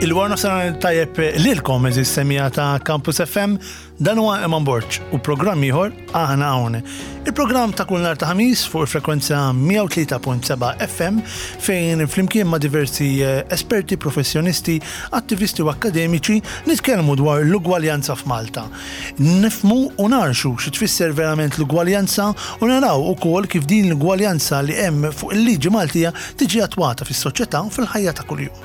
Il-war nofsinhar tajjeb lilkom eżis semija ta' Campus FM, dan huwa Eman Borg u programm ieħor aħna hawn. Il-programm ta' kull nhar ta' Ħamis fuq il-frekwenza 103.7 FM fejn flimkien ma' diversi eh, esperti, professjonisti, attivisti u akkademiċi nitkellmu dwar l-ugwaljanza f'Malta. Nifhmu u nagħrxu xi tfisser verament l-ugwaljanza u naraw ukoll kif din l-ugwaljanza li hemm fuq il-liġi Maltija tiġi attwata fis-soċjetà u fil-ħajja ta' kuljum.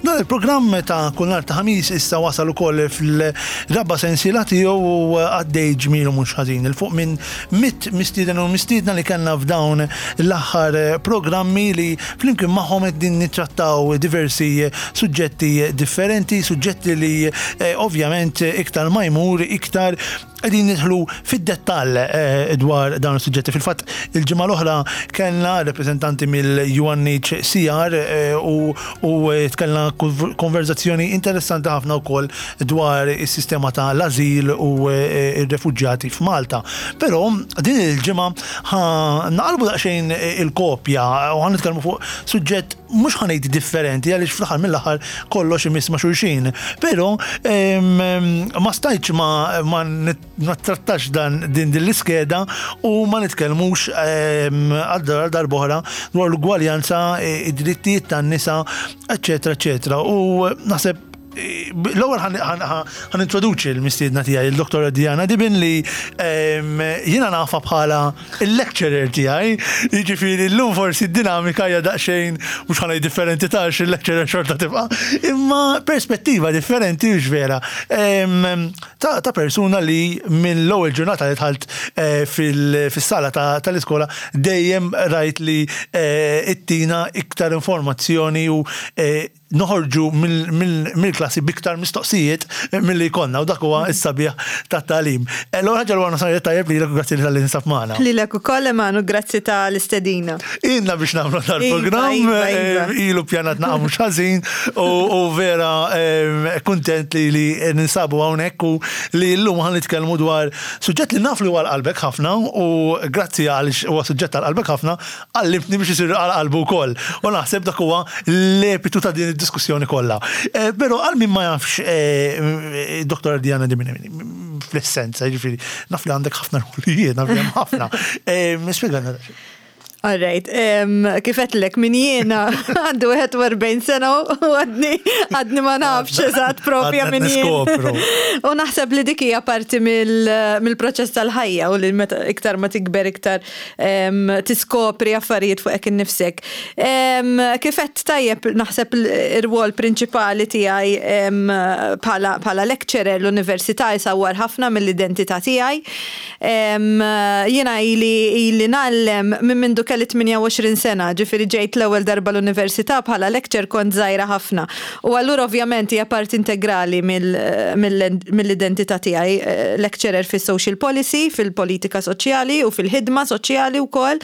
Dan il-programm ta' kull nhar ta' Ħamis issa wasal ukoll fil-raba' sensiela tiegħu u għaddej ġmielu mhux ħażin. Il fuq minn mit mistieden u mistiedna li kellna f'dawn l-aħħar programmi li flimkien magħhom qegħdin nittrattaw diversi suġġetti differenti, suġġetti li eh, ovvjament iktar ma jmur iktar qegħdin nidħlu fid-dettall eh, dwar dawn is-suġġetti. Fil-fatt il-ġimgħa l-oħra kellna rappreżentanti mill-UNHCR eh, u, u kellna konverzazzjoni interessanti ħafna wkoll dwar is-sistema ta' l-azil u ir-refuġjati f'Malta. Però din il-ġimgħa ħa naqalbu daqsxejn il-kopja u ħa nitkellmu fuq suġġett mhux ħa ngħid differenti għaliex fl-aħħar mill-aħħar kollox imiss ma' xulxin. Però ma stajtx ma, ma nittrattax dan din din l-iskeda u ma nitkellmux għal darb'oħra dwar l-ugwaljanza, id-drittijiet tan-nisa, eċċetera, eċċetera. U naħseb L-ewwel ħan introduċi l-mistiedna tiegħi il-Dr. Diana Dibin li jiena nafa bħala il-lecturer tiegħi, jiġifieri llum forsi d-dinamika hija daqsxejn mhux ħa ngħid differenti ta' il-lecturer xorta tibqa', imma perspettiva differenti hux vera ta' persuna li mill-ewwel ġurnata li dħalt eh, fis-sala tal-iskola dejjem rajt li eh, ittina iktar informazzjoni u eh, noħorġu mill-klassi b'iktar mistoqsijiet milli jkollna u dak huwa s-sabiħ tat-tagħlim. Eh, l-ewwel ħaġa l nofsinhar tajjeb lilek u grazzi li talli tinsab magħna. Lilek ukoll Emanu, grazzi tal-istedina. Ilna biex nagħmlu dal-programm, iva, iva, iva. Eh, ilu pjanat naqa' mhux ħażin u vera eh, kuntent li li ninsabu hawnhekk u li llum ħa nitkellmu dwar suġġett li naf li huwa qalbek ħafna u grazzi għaliex huwa suġġett għal qalbek ħafna Għallimtni biex isir għal qalbu wkoll. U naħseb dak huwa l-epitu ta' din id-diskussjoni kollha. Eh, però għal min ma jafx eh, Dr. Diana Di fl-essenza, jiġifieri, naf li għandek ħafna rwolijiet, naf li hemm ħafna. Eh, Spjegana All right, kif għedtlek min jiena għandu 41 sena u għadni għadni ma nafx eżatt propja min jien. U naħseb li dik hija parti mill-proċess tal-ħajja u li meta iktar ma tikber iktar tiskopri affarijiet fuqek innifsek. Kif għedt tajjeb naħseb ir-rwol prinċipali tiegħi bħala lecturer l-università jsawwar ħafna mill-identità tiegħi. Jiena ili ili ngħallem minn mindu kelli 28 sena, ġifieri ġejt l-ewwel darba l-università bħala lecturer kont żgħira ħafna. U allura ovvjament hija parti integrali mill-identità tiegħi, lecturer fis-social policy, fil-politika soċjali u fil-ħidma soċjali wkoll.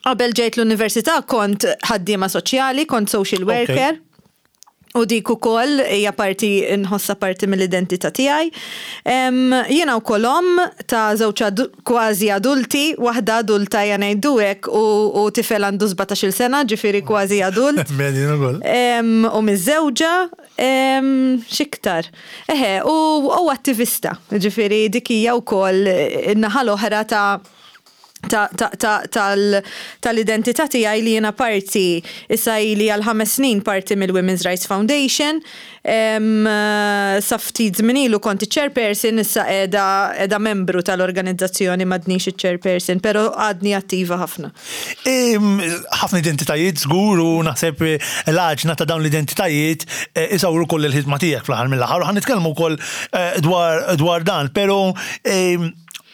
Qabel ġejt l-università kont ħaddiema soċjali, kont social worker. U dik ukoll hija parti nħossha parti mill-identità tiegħi. Jiena wkoll omm ta' żewġ kważi adulti, waħda adulta ejja ngħidu hekk u tifel għandu 17-il sena, ġifieri kważi adult. U miżżewġa, x'iktar? Eħe, u attivista, ġifieri dik hija wkoll in-naħa l-oħra ta' tal-identità tiegħi li jiena parti issa ili għal ħames snin parti mill-Women's Rights Foundation. Sa ftit żmien ilu kont iċ-chairperson, issa qiegħda qiegħda membru tal-organizzazzjoni m'għadnix iċ-chairperson, però għadni attiva ħafna. Ħafna identitajiet żgur u naħseb l-għaġna ta' dawn l-identitajiet isawru wkoll il-ħidma tiegħek fl-aħħar mill-aħħar u ħa nitkellmu wkoll dwar dan, però.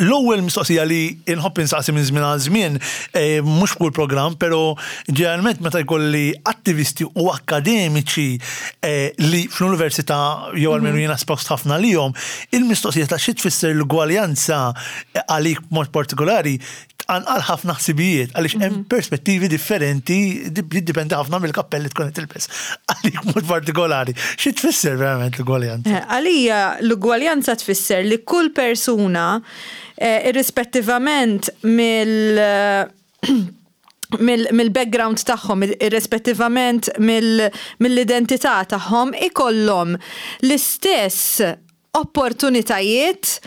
L-ewwel mistoqsija li nħobb insaqsi minn żmien għal żmien, eh, mhux f'kull programm, però ġeneralment meta jkolli attivisti u akkademiċi eh, li fl-università jew almenu mhm. jiena espost ħafna lihom, il-mistoqsija ta' xi tfisser l-ugwaljanza eh, għalik b'mod partikolari tqanqal ħafna ħsibijiet għaliex hemm mhm. perspettivi differenti jiddipendi ħafna mill-kappell li tkun qed tilbes. Għalik mod partikolari, xi tfisser verament l-ugwaljanza? Eh, għalija l-ugwaljanza tfisser li kull persuna eh, irrispettivament mill mill-background tagħhom, irrispettivament mill-identità tagħhom, ikollhom l-istess opportunitajiet,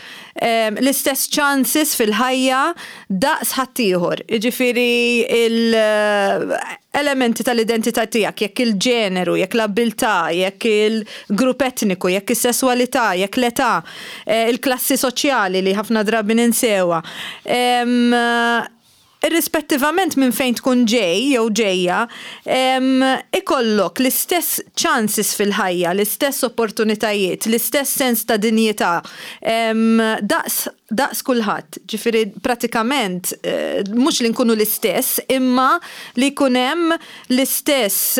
l-istess chances fil-ħajja daqs ħaddieħor. Jiġifieri l-elementi tal-identità tiegħek, jekk il-ġeneru, jekk l-abbiltà, jekk il-grupp etniku, jekk is-sesswalità, jekk l-età, il-klassi soċjali li ħafna drabi ninsewha. Irrispettivament minn fejn tkun ġej jew ġejja, ikollok l-istess chances fil-ħajja, l-istess opportunitajiet, l-istess sens ta' dinjità, daqs daqs kulħadd. Ġifieri pratikament mhux li nkunu l-istess imma li jkun hemm l-istess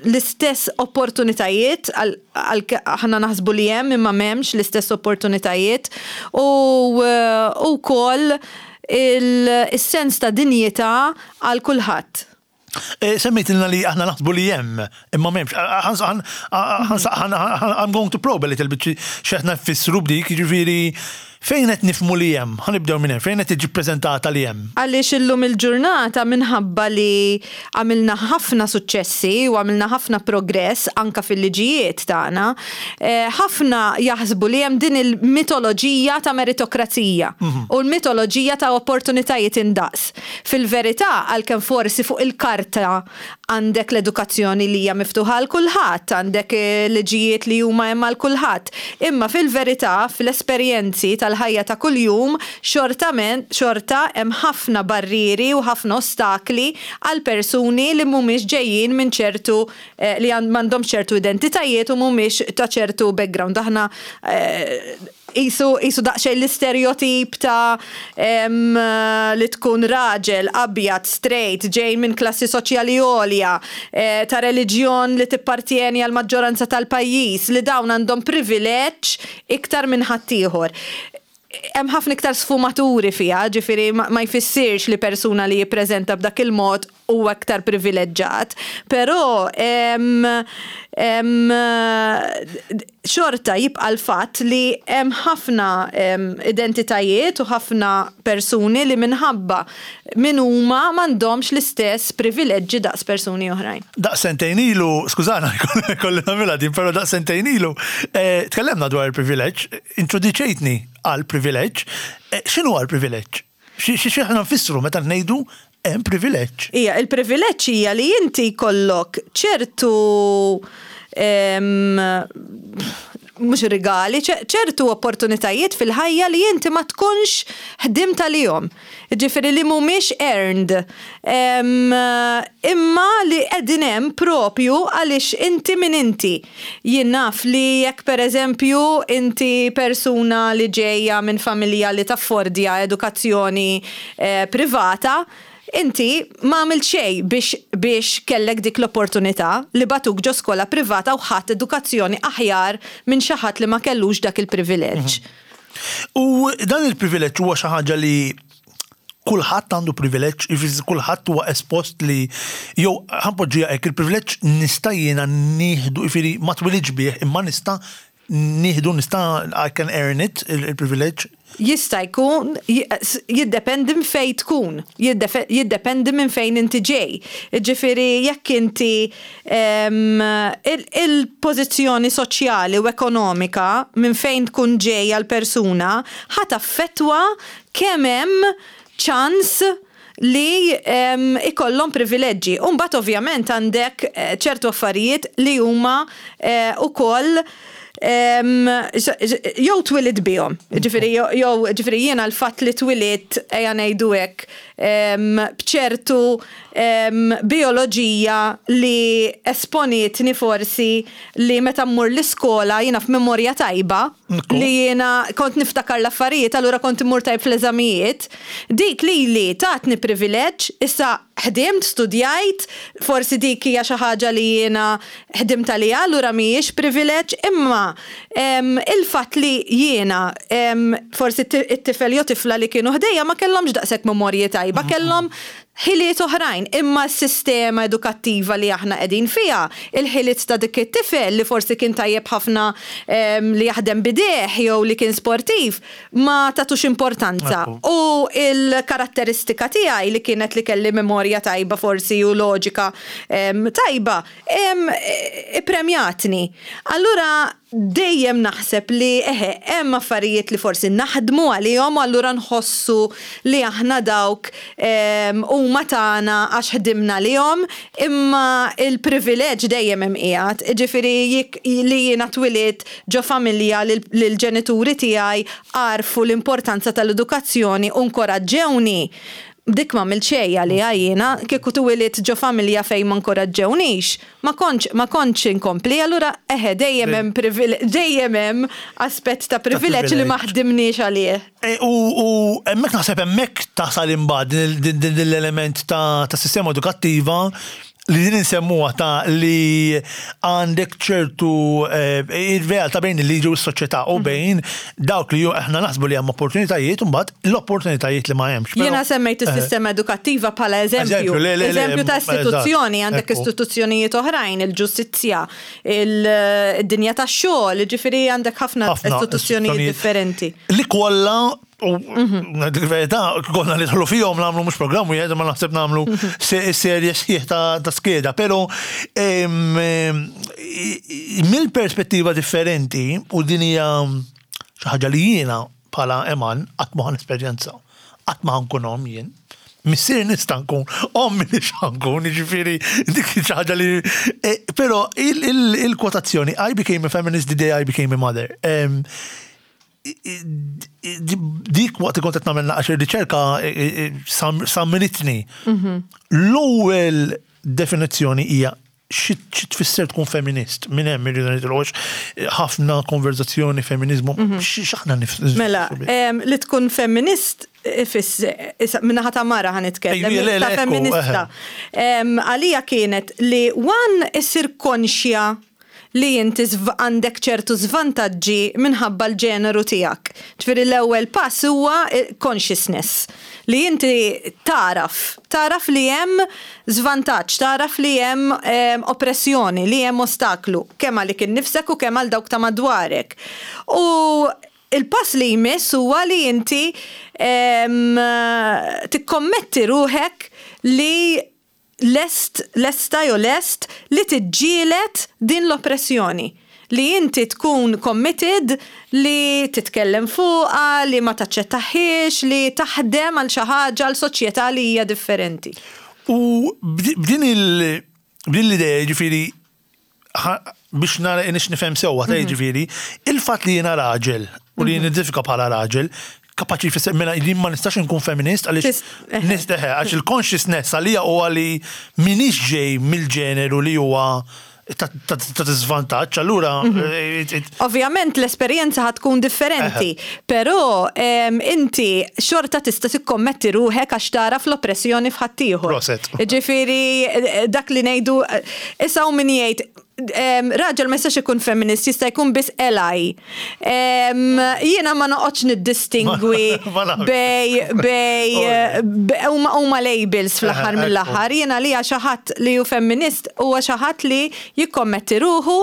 l-istess opportunitajiet aħna naħsbu li hemm imma m'hemmx l-istess opportunitajiet u wkoll is-sens ta' dinjità għal kulħadd. Eh, semmejtilna li aħna naħsbu li hemm, imma m'hemmx. I'm going to probe a little bit x'qed nfissru b'dik, jiġifieri Fejn qed nifhmu li hemm? Ħa nibdew minn hemm, fejn qed tiġi ppreżentata li hemm? Għaliex illum il-ġurnata minħabba li għamilna ħafna suċċessi u għamilna ħafna progress anke fil-liġijiet tagħna, ħafna jaħsbu li hemm din il-mitoloġija ta' meritokrazija u l-mitoloġija ta' opportunitajiet indaqs. Fil-verità, għalkemm forsi fuq il-karta Għandek l-edukazzjoni li hija miftuħa għal kulħadd, għandek liġijiet li huma hemm għal kulħadd. Imma fil-verità, fl-esperjenzi tal-ħajja ta' kuljum, xortament, xorta hemm ħafna barrieri u ħafna ostakli għal persuni li mhumiex ġejjin minn ċertu li m'għandhomx ċertu identitajiet u mhumiex ta' ċertu background. Aħna Qisu, qisu daqsxejn l-isterjotip ta' li tkun raġel, abjad, straight, ġej minn klassi soċjali għolja, ta' reliġjon li tippartjeni għall-maġġoranza tal-pajjiż, li dawn għandhom privileġġ iktar minn ħaddieħor. Hemm ħafna iktar sfumaturi fiha, ġifieri ma jfissirx li persuna li jippreżenta b'dak il-mod huwa iktar privileġġat, però xorta jibqa' l-fatt li hemm ħafna identitajiet u ħafna persuni li minħabba min huma m'għandhomx l-istess privileġġi daqs persuni oħrajn. Daqs sentejn ilu, skużana jkolli nagħmilha din, però daqs sentejn ilu eh, tkellemna dwar il-privileġġ, introduċejtni għal privileġġ. Eh, x'inhu għal privileġġ? Xi aħna nfissru meta ngħidu hemm privileġġ? Ija, il-privileġġ hija li inti jkollok ċertu mhux rigali, ċertu opportunitajiet fil-ħajja li inti ma tkunx ħdimt għalihom. Ġifieri li mhumiex earned. Imma li qegħdin hemm propju għaliex inti min inti. Jien naf li jekk pereżempju inti persuna li ġejja minn familja li taffordja edukazzjoni privata, inti ma għamilt xejn biex biex kellek dik l-opportunità li bagħtuk ġo skola privata u ħadt edukazzjoni aħjar minn xi ħadd li ma kellux dak il-privileġġ. U dan il-privileġġ huwa xi ħaġa li kulħadd għandu privileġġ, jiġifieri kulħadd huwa espost li jew ħa npoġġiha hekk, il-privileġġ nista' jiena nieħdu, jiġifieri ma twilidx bih imma nista' nieħdu nista' I can earn it il-privileġġ. Jista' jkun, jiddependi minn fejn tkun, jiddependi minn fejn inti ġej. Jiġifieri jekk inti il-pożizzjoni soċjali u ekonomika minn fejn tkun ġejja l-persuna ħa taffettwa kemm hemm ċans li ikollhom privileġġi. U mbagħad ovvjament għandek ċertu affarijiet li huma wkoll. Jew twilidt bihom. Ġifieri jew ġifieri jiena l-fatt li twilidt ejja ngħidu hekk b'ċertu bijoloġija li esponietni forsi li meta mmur l-iskola jiena f'memorja tajba li jiena kont niftakar l-affarijiet allura kont immur tajjeb fl-eżamijiet. Dik lili tatni privileġġ issa ħdimt, studjajt, forsi dik hija xi ħaġa li jiena ħdimt għaliha allura mhijiex privileġġ, imma il-fatt li jiena forsi t-tifel jew tifla li kienu ħdejja ma kellhomx daqshekk memorji tajba, kellhom ħiliet oħrajn, imma s-sistema edukattiva li aħna qegħdin fiha, il-ħiliet ta' dik it-tifel li forsi kien tajjeb ħafna li jaħdem b'idejh jew li kien sportiv, ma tagħtux importanza. U l-karatteristika tiegħi li kienet li kelli memorja tajba forsi u loġika tajba, ippremjatni. Allura dejjem naħseb li eħe, hemm affarijiet li forsi naħdmu għalihom u allura nħossu li aħna dawk huma tagħna għax ħdimna għalihom, imma l-privileġġ dejjem hemm qiegħed. Jiġifieri jekk li jiena twilidt ġo familja li l-ġenituri tiegħi għarfu l-importanza tal-edukazzjoni u nkoraġġewni, dik m'għamilt xejn għaliha jiena, kieku twilidt ġo familja fejn ma nkoraġġewnix, ma kontx ma kontx inkompli, allura eħe dejjem hemm dejjem hemm aspett ta' privileġġ li ma ħdimniex għalih. E, u hemmhekk naħseb hemmhekk tasal imbagħad din l-element ta' sistema edukattiva li din insemmuha ta' li għandek ċertu eh, ir-realtà bejn il-liġi u s-soċjetà u mhm. bejn dawk li aħna naħsbu li hemm opportunitajiet u mbagħad l-opportunitajiet li ma hemmx. Jiena semmejt eh, is-sistema edukattiva bħala eżempju. Eżempju ta' istituzzjoni, għandek istituzzjonijiet oħrajn, il-ġustizzja, il-dinja tax-xogħol, ġifieri għandek ħafna istituzzjonijiet differenti. Li kollha U mhm. dik verità, konna nidħlu fihom nagħmlu mhux programm wieħed ma naħseb nagħmlu mhm. serje sħiħ ta' skeda, però mill-perspettiva differenti u din hija xi ħaġa li jiena bħala Eman qatt ma esperjenza, qatt ma ħankun omm jien. Missier nista' nkun, ommi nix nkun, jiġifieri dik xi ħaġa li. Eh, però il-kwotazzjoni I became a feminist the day I became a mother. Dik waqt li kont qed nagħmel naqra riċerka sammitni. Mhm. L-ewwel definizzjoni hija xi tfisser tkun feminist, minn hemm irridu nitilgħu ħafna konverzazzjoni feminizmu, mhm. x'aħna nif. Mela, li tkun feminist minnaħa ta' mara ħan nitkellem, ta' feminista. Għalija kienet li one issir konxja li inti għandek ċertu żvantaġġi minħabba l-ġeneru tiegħek. Ġifieri l-ewwel pass huwa consciousness, li inti tagħraf, tagħraf li hemm żvantaġġ, tagħraf li hemm oppressjoni, li hemm ostaklu, kemm għalik innifsek u kemm għal dawk ta' madwarek. U il-pass li jmiss huwa li inti tikkommetti ruħek li lest, lesta jew lest li tiġġieled din l-oppressjoni. Li inti tkun committed li titkellem fuqha, li ma taċċettahiex, li taħdem għal xi ħaġa, għal soċjetà li hija differenti. U b'din il, b'din l-idea, jiġifieri, biex nara nix nifhem sewwa ta' mhm. jiġifieri, il-fatt li jiena raġel u li mhm. nidentifika bħala raġel, kapaċi jfisser mela li ma nistax nkun feminist għaliex eh. nisteħe għax il-consciousness għalija huwa li minix ġej mill-ġeneru li huwa ta' diżvantaġġ, allura. Mhm. Eh, Ovvjament l-esperjenza ħad tkun differenti, però inti xorta tista' tikkommetti ruħek għax tara fl-oppressjoni f'ħaddieħor. Proset. Ġifieri eh, dak li ngħidu eh, issa hawn min jgħid raġel ma jistax ikun feminist, jista' jkun biss ally. Jiena ma noqgħodx niddistingwi bej bej huma labels fl-aħħar mill-aħħar. Jiena li xi ħadd li hu femminist huwa xi ħadd li jikkommetti ruħu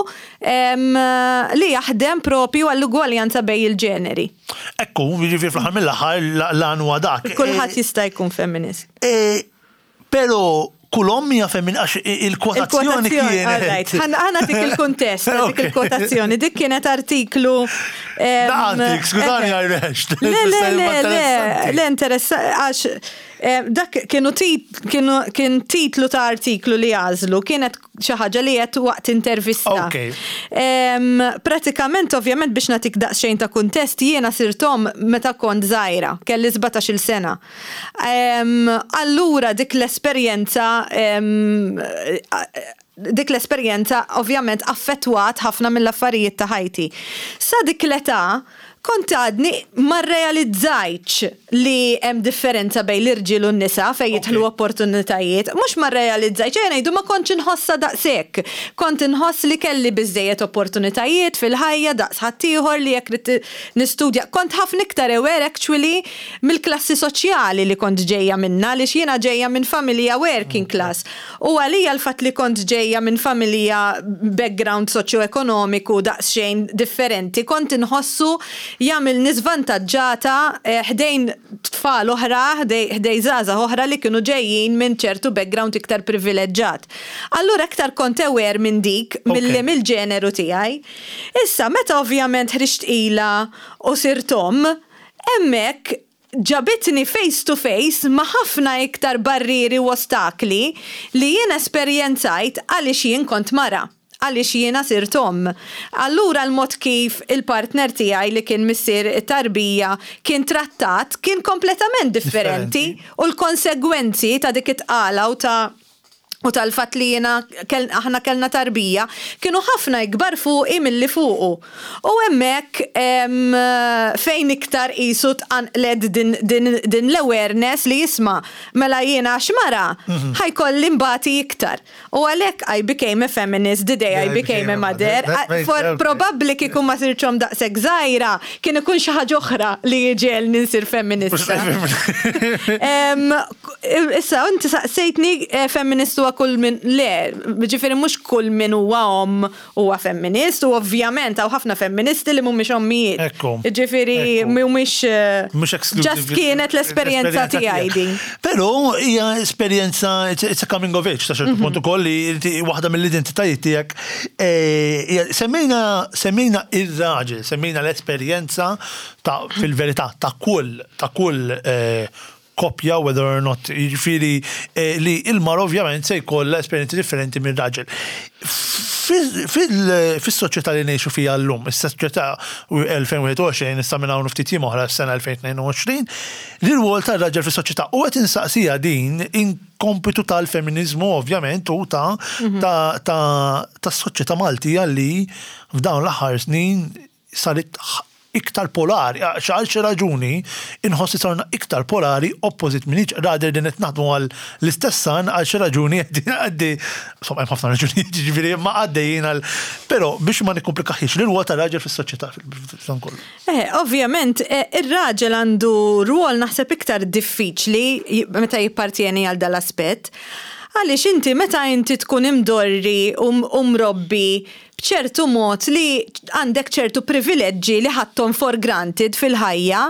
li jaħdem propju għall-ugwaljanza bejn il-ġeneri. Ekku, jiġifieri fl-aħħar mill-aħħar l-għan huwa dak. Kulħadd jista' jkun femminist. E, però kull omm hija femmin għax il-kwotazzjoni kienet. Ħana dik il-kuntest, dik il-kwotazzjoni, dik kienet artiklu. Naqantik, skużani għajrex. Le, le, le, le, le, interessa, għax dak kienu kien titlu ta' artiklu li għażlu, kienet xi ħaġa li għedt waqt intervista. Pratikament, ovvjament biex nagħtik daqsxejn ta' kuntest, jiena sirt omm meta kont żgħira, kelli 17-il sena. Allura dik l-esperjenza dik l-esperjenza ovvjament affettwat ħafna mill-affarijiet ta' ħajti. Sa dik l-età kont għadni ma rrealizzajtx li hemm differenza bejn l-irġiel u n-nisa fejn jidħlu opportunitajiet. Mhux ma rrealizzajtx, ejja ngħidu ma kontx inħossha daqshekk. Kont inħoss li kelli biżżejjed opportunitajiet fil-ħajja daqs ħaddieħor li jekk ridt nistudja. Kont ħafna iktar aware actually mill-klassi soċjali li kont ġejja minnha għaliex jiena ġejja minn familja working class. U għalija l-fatt li kont ġejja minn familja background soċjoekonomiku daqsxejn differenti kont inħossu jagħmilni żvantaġġata ħdejn tfal oħra, ħdejn żgħażagħ oħra li kienu ġejjin minn ċertu background iktar privileġġat. Allura iktar kont aware minn dik milli mill-ġeneru tiegħi. Issa meta ovvjament ħriġt tqila u sirt omm, hemmhekk ġabitni face to face ma' ħafna iktar barrieri u ostakli li jien esperjenzajt għaliex jien kont mara, għaliex jiena sirt omm. Allura l-mod kif il-partner tiegħi li kien missier it-tarbija kien trattat kien kompletament differenti u l-konsegwenzi ta' dik it-tqala u ta' u tal-fatt li jiena aħna kellna tarbija kienu ħafna ikbar fuqi milli fuqu. U hemmhekk fejn iktar qisu tqanqlet din, din, din l-awareness li isma' mela jiena għax mara mhm. ħa jkolli nbati iktar. U għalhekk I became a feminist the day I became a mother. For probabbli kieku ma sirtx omm daqshekk żgħira kien ikun xi ħaġa oħra li jġegħelni nsir feminista. Issa, inti saqsejtni eh, femminist huwa kull min le, ġifieri mhux kull min huwa omm huwa femminist u ovvjament hawn ħafna femministi li mhumiex ommijiet. Ekku. Ġifieri mhumiex eh, Mhux exclusive. Just kienet l-esperjenza tiegħi din. Però hija esperjenza it's a coming of age ta' ċertu mhm. punt ukoll li waħda mill-identitajiet tiegħek eh, semmejna semmejna ir-raġel, semmejna l-esperjenza ta' fil-verità ta' kull ta' kull koppja whether or not, jiġifieri eh, li il-mara ovvjament se jkollha esperjenzi differenti mir-raġel. Fis-soċjetà li ngħixu fiha llum, is-soċjetà 2021 issa minn hawn ftit jiem oħra s-sena 2022, l-irwol tar-raġel fis-soċjetà u qed insaqsija din in kompitu tal-feminiżmu ovvjament u ta' mhm. ta' tas-soċjetà Maltija li f'dawn l-aħħar snin saret iktar polari, għal xi raġuni inħoss li sarna iktar polari opposite minn each rather than qed naħdmu għal l-istess għan għal xi raġuni għaddi, insomma hemm ħafna raġunijiet jiġifieri imma għaddejjin għal però biex ma nikkomplikaħiex l-irwol tar-raġel fis-soċjetà f'dan kollu. Eh, ovvjament, eh, ir-raġel għandu rwol naħseb iktar diffiċli meta jippartjeni għal dal-aspett. Għaliex inti meta inti tkun imdorri u mrobbi b'ċertu mod li għandek ċertu privileġġi li ħadthom for granted fil-ħajja,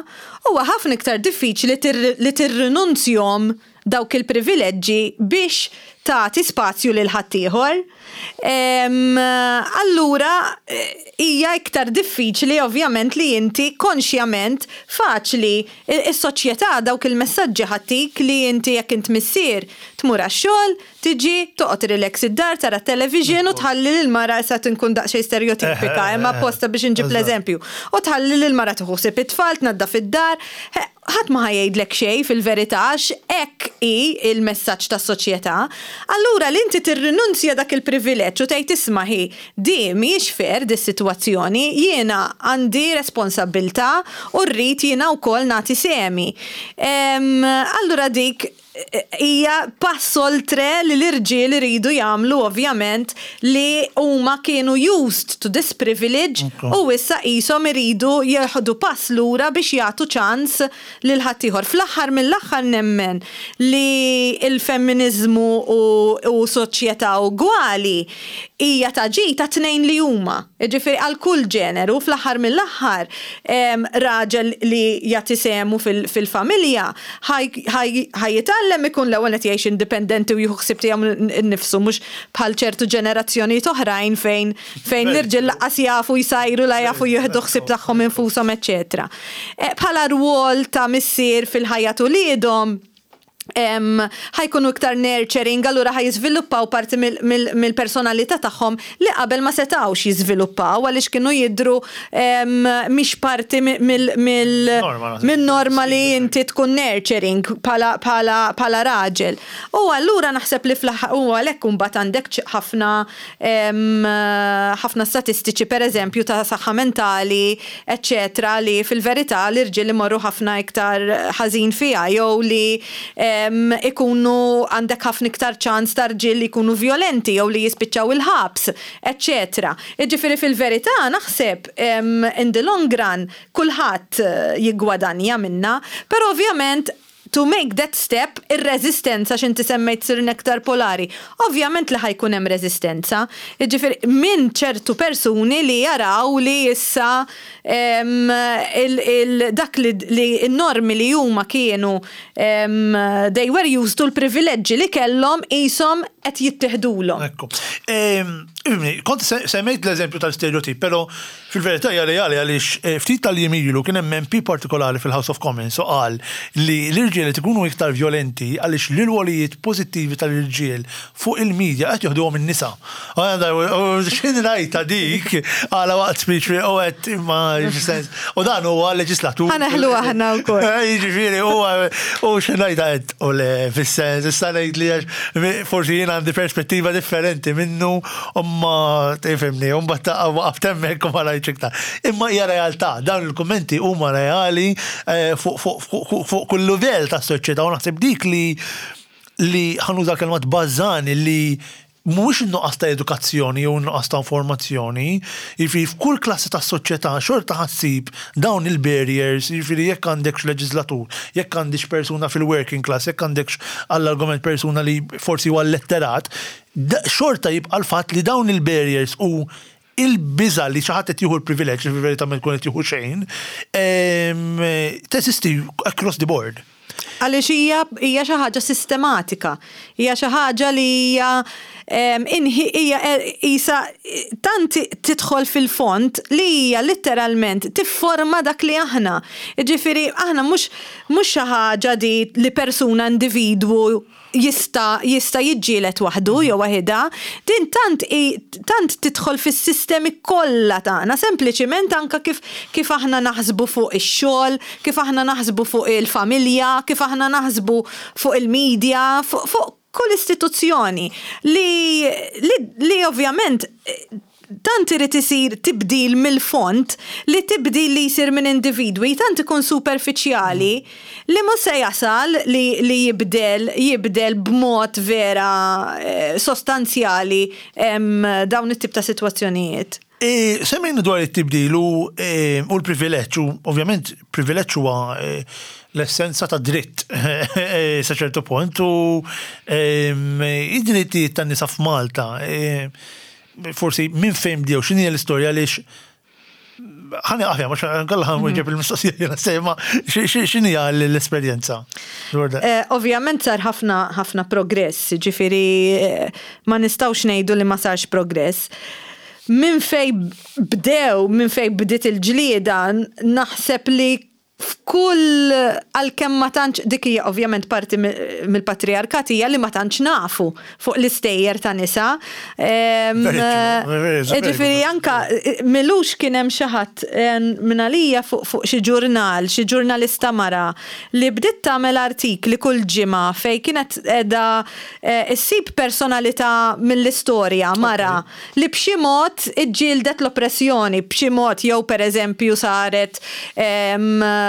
huwa ħafna iktar diffiċli li tirrinunzjhom dawk il-privileġġi biex tagħti spazju lil ħaddieħor. Allura hija iktar diffiċli ovvjament li inti konxjament faċli is-soċjetà dawk il-messaġġi ħa ttik li inti jekk int missier tmur għax-xogħol, Tiġi, toqgħod relax id-dar, tara t-television u tħalli lill-mara, issa qed inkun daqsxejn stereotipika, imma apposta biex inġib l-eżempju, u tħalli lill-mara tieħu ħsieb it-tfal, tnaddaf id-dar. Ħadd ma ħa jgħidlek xejn fil-verità għax hekk hi l-messaġġ tas-soċjetà. Allura li inti tirrinunzja dak il-privileġġ u tgħid isma' ħi, di mhijiex fair dis-sitwazzjoni, jiena għandi responsabbiltà u rrid jiena wkoll nagħti sehemi. Allura dik hija pass oltre li l-irġiel iridu jagħmlu ovvjament li huma kienu used to this privilege u issa qishom iridu jieħdu pass lura biex jagħtu ċans lil ħaddieħor. Fl-aħħar mill-aħħar nemmen li l-femminiżmu u soċjetà ugwali hija ta' ġid għat-tnejn li huma. Jiġifieri għal kull ġeneru, fl-aħħar mill-aħħar raġel li jagħti sehmu fil-familja ħa jitgħallem ikun l-ewwel nett jgħix indipendenti u jieħu ħsieb tiegħu nnifsu mhux bħal ċertu ġenerazzjonijiet oħrajn fejn fejn l-irġiel lanqas jafu jsajru la jafu jieħdu ħsieb tagħhom infushom eċċetera. Bħala rwol ta' missier fil-ħajja t'uliedhom, Ħa jkunu iktar nurturing, allura ħa jiżviluppaw parti mill-personalità tagħhom li qabel ma setgħux jiżviluppaw għaliex kienu jidhru mhix parti min-norma li inti tkun nurturing bħala raġel. U allura naħseb li fl-aħħar, u għalhekk imbagħad għandek ħafna ħafna statistiċi, pereżempju, ta' saħħa mentali, eċċetera, li fil-verità l-irġiel imorru ħafna iktar ħażin fiha jew li ikunu għandek ħafna iktar ċans ta' rġiel li jkunu vjolenti jew li jispiċċaw il-ħabs, eċċetera. Jiġifieri fil-verità naħseb in the long run kulħadd jiggwadanja minnha, però ovvjament to make that step, ir-reżistenza, x'inti semmejt sirna iktar polari. Ovvjament li ħa jkun hemm reżistenza. Jiġifieri minn ċertu persuni li jaraw li issa dak li n-normi li huma kienu they were used to, l-privileġġi li kellhom qishom qed jittieħdulhom. Ekku. Kont semmejt l-eżempju tal-stereotip, però fil-verità hija reali għaliex ftit tal-jiem ilu kien hemm MP partikolari fil-House of Commons u qal li l-irġiel qed ikunu iktar vjolenti għaliex l-irwolijiet pożittivi tal-irġiel fuq il-media qed joħduhom in-nisa. X'ħin rajtha dik għala waqt speech u għedt imma sens. U dan huwa leġislatur. Ħa neħlu aħna wkoll. Jiġifieri huwa u x'ħin rajtha għedt u le, fis-sens issa ngħid li għax forsi jien għandi perspettiva differenti minnu. Imma tifhimni, u mbagħad taqa' waqaft hemmhekk u ma rajtx iktar. Imma hija realtà, dawn il-kummenti huma reali eh, fuq kull livell tas-soċjetà u naħseb dik li li ħa nuża l-kelma tbażżani li mhuwiex in-nuqqas ta' edukazzjoni jew in-nuqqas ta' informazzjoni, jiġifieri f'kull klassi tas-soċjetà xorta ħa ssib dawn il-barriers, jiġifieri jekk għandekx leġiżlatur, jekk għandix persuna fil-working class, jekk għandekx għall-argument persuna li forsi huwa letterat, Xorta jibqa' l-fatt li dawn il-barriers u il-biża' li xi ħadd qed jieħu l-privileġġ li fil-verità ma jkun qed jieħu xejn, teżisti across the board. Għaliex hija hija xi ħaġa sistematika, hija xi ħaġa li hija hija qisha tant tidħol fil-fond li hija litteralment tifforma dak li aħna. Jiġifieri aħna mhux mhux xi ħaġa di li persuna individwu jista' jista' jiġġieled waħdu jew waħidha, din tant hi tant tidħol fis-sistemi kollha tagħna, sempliċiment anke kif kif aħna naħsbu fuq ix-xogħol, kif aħna naħsbu fuq il-familja, kif aħna naħsbu fuq il-media, fuq fuq kull istituzzjoni li li li ovvjament tant irid isir tibdil mill-fond li tibdil li jsir minn individwi tant ikun superfiċjali li mhux se jasal li li jibdel jibdel b'mod vera sostanzjali dawn it-tip ta' sitwazzjonijiet. Semmejna dwar it-tibdil u u l-privileġġ u ovvjament privileġġ huwa l-essenza ta' dritt sa ċertu punt u id-drittijiet tan-nisa f'Malta forsi minn fejn bdew, x'inhi l-istorja, għaliex ħani għafja, mux għalla ħan ġeb il-mistoqsija jena sejma, x'inhi l-esperjenza? Eh, ovvjament sar ħafna ħafna progress, ġifiri eh, ma nistawx ngħidu li ma sarx progress. Minn fej bdew, minn fej bdiet il-ġlieda, naħseb li F'kull, għalkemm ma tantx, dik hija ovvjament parti mill-patrijarkat hija li ma tantx nafu fuq l-istejjer ta' nisa. Ġifieri anka m'ilux kien hemm xi ħadd minn għalija fuq xi ġurnal, xi ġurnalista mara li bdiet tagħmel artikli kull ġimgħa fejn kienet qiegħda ssib personalità mill-istorja mara li b'xi mod iġġieldet l-oppressjoni, b'xi mod jew pereżempju saret